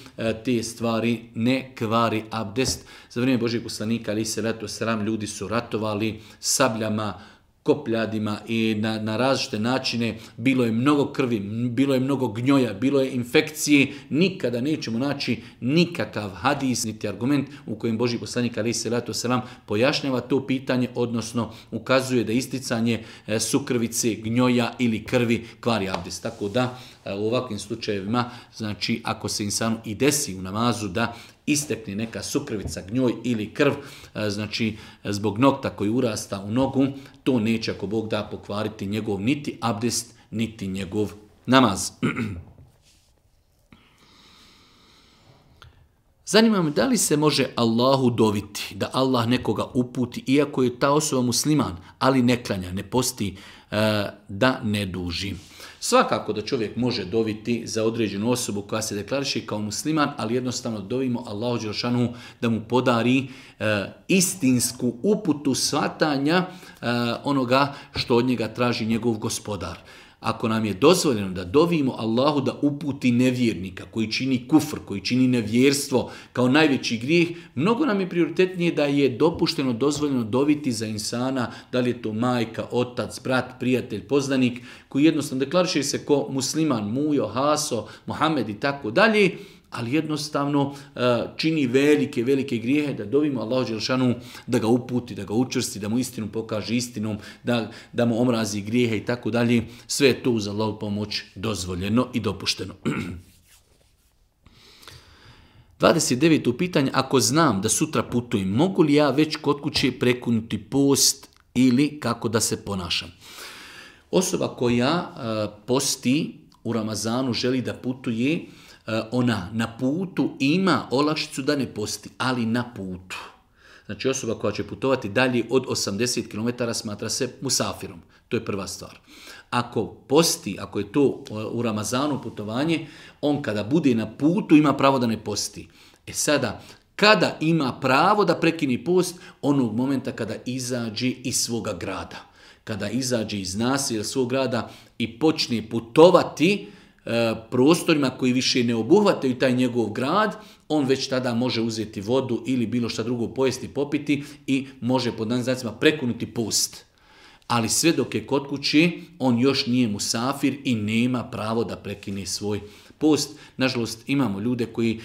te stvari ne kvari abdest. Za vrijeme Božjeg poslanika ali se leto sram ljudi su ratovali sabljama, kopljadima i na različite načine, bilo je mnogo krvi, bilo je mnogo gnjoja, bilo je infekcije, nikada nećemo naći nikakav hadis niti argument u kojem Božji poslanik alejhi selatu selam pojašnjava to pitanje, odnosno ukazuje da isticanje sukrvice, gnjoja ili krvi kvari abdest. Tako da u ovakvim slučajevima, znači ako se insanu i desi u namazu da istekne neka sukrvica, gnjoj ili krv, znači zbog nokta koji urasta u nogu, to neće ako Bog da pokvariti njegov niti abdest, niti njegov namaz. Zanima me da li se može Allahu doviti, da Allah nekoga uputi, iako je ta osoba musliman, ali ne klanja, ne posti, da ne duži. Svakako da čovjek može doviti za određenu osobu koja se deklariše kao musliman, ali jednostavno dovimo Allahu dželešanu da mu podari istinsku uputu shvatanja onoga što od njega traži njegov gospodar. Ako nam je dozvoljeno da dovimo Allahu da uputi nevjernika koji čini kufr, koji čini nevjerstvo kao najveći grijeh, mnogo nam je prioritetnije da je dopušteno, dozvoljeno doviti za insana, da li je to majka, otac, brat, prijatelj, poznanik, koji jednostavno deklariše se ko musliman, Mujo, Haso, Mohamed i tako dalje, ali jednostavno čini velike grijehe, da dovimo Allahu dželešanu da ga uputi, da ga učvrsti, da mu istinu pokaže istinom, da mu omrazi grijehe i tako dalje. Sve je to uz Allahu pomoć dozvoljeno i dopušteno. 29. pitanje. Ako znam da sutra putujem, mogu li ja već kod kuće prekinuti post ili kako da se ponašam? Osoba koja posti u Ramazanu, želi da putuje, ona na putu ima olakšicu da ne posti, ali na putu. Znači osoba koja će putovati dalje od 80 km smatra se musafirom. To je prva stvar. Ako posti, ako je to u Ramazanu putovanje, on kada bude na putu ima pravo da ne posti. Sada, kada ima pravo da prekine post? Onog momenta kada izađe iz svoga grada. Kada izađe iz naselja svog grada i počne putovati prostorima koji više ne obuhvataju taj njegov grad, on već tada može uzeti vodu ili bilo šta drugo pojesti, popiti i može pod danim znacima prekinuti post. Ali sve dok je kod kuće, on još nije musafir i nema pravo da prekine svoj post. Nažalost, imamo ljude koji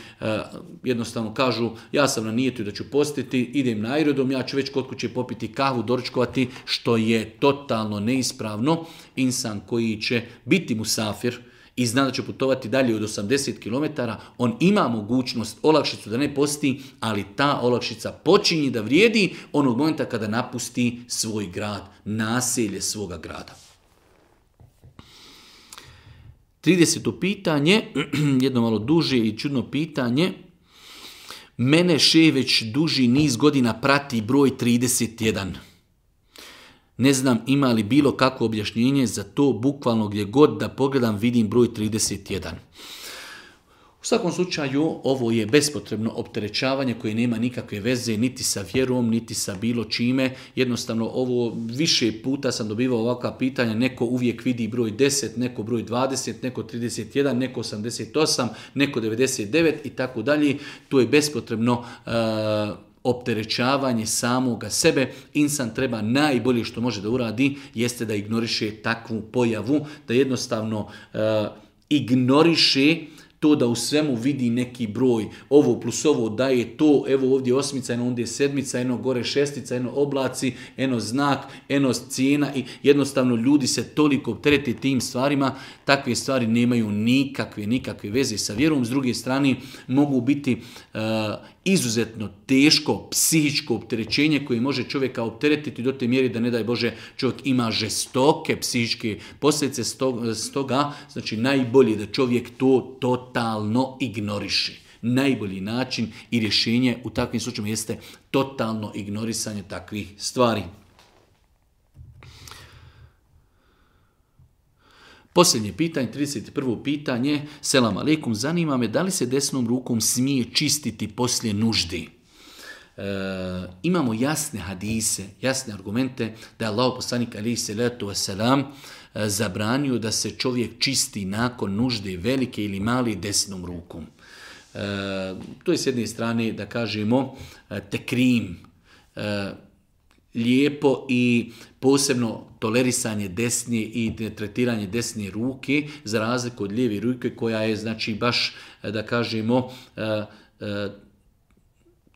jednostavno kažu, ja sam na nijetu da ću postiti, idem na aerodrom, ja ću već kod kuće popiti kahvu, doručkovati, što je totalno neispravno. Insan koji će biti musafir i zna da će putovati dalje od 80 km, on ima mogućnost olakšicu da ne posti, ali ta olakšica počinje da vrijedi onog momenta kada napusti svoj grad, naselje svoga grada. 30. pitanje, jedno malo duže i čudno pitanje. Mene već duži niz godina prati broj 31. Ne znam ima li bilo kakvo objašnjenje za to, bukvalno gdje god da pogledam vidim broj 31. U svakom slučaju ovo je bespotrebno opterećavanje koje nema nikakve veze niti sa vjerom, niti sa bilo čime. Jednostavno ovo više puta sam dobivao ovakva pitanja, neko uvijek vidi broj 10, neko broj 20, neko 31, neko 88, neko 99 i tako dalje. To je bespotrebno opterećavanje samoga sebe. Insan treba najbolje što može da uradi jeste da ignoriše takvu pojavu, da jednostavno ignoriše to da u svemu vidi neki broj, ovo plus ovo daje to, evo ovdje je osmica, eno ovdje je sedmica, eno gore šestica, eno oblaci, eno znak, eno cijena i jednostavno ljudi se toliko opterete tim stvarima, takve stvari nemaju nikakve veze sa vjerom. S druge strane mogu biti izuzetno teško psihičko opterećenje koje može čovjeka opteretiti do te mjeri da ne daj Bože čovjek ima žestoke psihičke posljedice. Stoga znači najbolje da čovjek to totalno ignoriše. Najbolji način i rješenje u takvim slučajima jeste totalno ignorisanje takvih stvari. Posljednje pitanje, 31. pitanje. Selam aleikum, zanima me da li se desnom rukom smije čistiti poslije nužde. Imamo jasne hadise, jasne argumente da je Allah poslanik alejhi selatu vesselam zabranio da se čovjek čisti nakon nužde velike ili male desnom rukom. To je s jedne strane da kažemo tekrim, lijepo i posebno tolerisanje desne i tretiranje desne ruke za razliku od lijeve ruke koja je znači baš da kažemo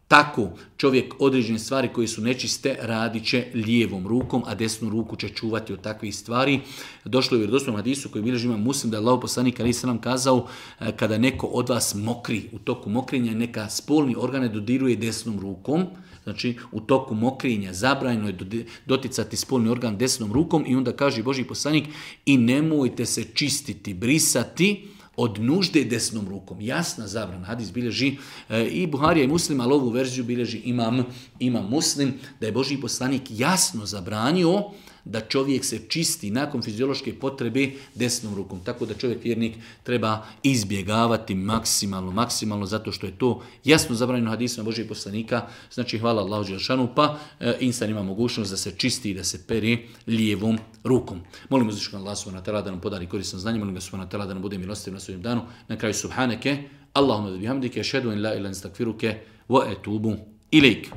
tako čovjek određene stvari koje su nečiste radit će lijevom rukom, a desnu ruku će čuvati od takvih stvari. Došlo je u vjerodostojnom hadisu koji bilježi Imam Muslim da je Allahov poslanik alejhi selam kazao kada neko od vas mokri, u toku mokrenja neka spolni organe dodiruje desnom rukom. Znači u toku mokrenja zabranjeno je doticati spolni organ desnom rukom i onda kaže Božji poslanik i nemojte se čistiti, brisati od nužde desnom rukom. Jasna zabrana. Hadis bilježi i Buharija i Muslim, ali ovu verziju bilježi imam Muslim, da je Božji poslanik jasno zabranio da čovjek se čisti nakon fiziološke potrebe desnom rukom. Tako da čovjek vjernik treba izbjegavati maksimalno, zato što je to jasno zabranjeno hadisima Božjeg poslanika. Znači hvala Allahu dželešanu, pa insan ima mogućnost da se čisti i da se pere lijevom rukom. Molim uzvišenog Allaha subhanahu wa ta'ala da nam podari korisno znanje, molim ga subhanahu wa ta'ala da nam bude milostiv na sudnjem danu. Na kraju subhaneke, Allahumma bihamdike, ašhadu an la ilaha illa anta, astaghfiruke wa atubu ilejk.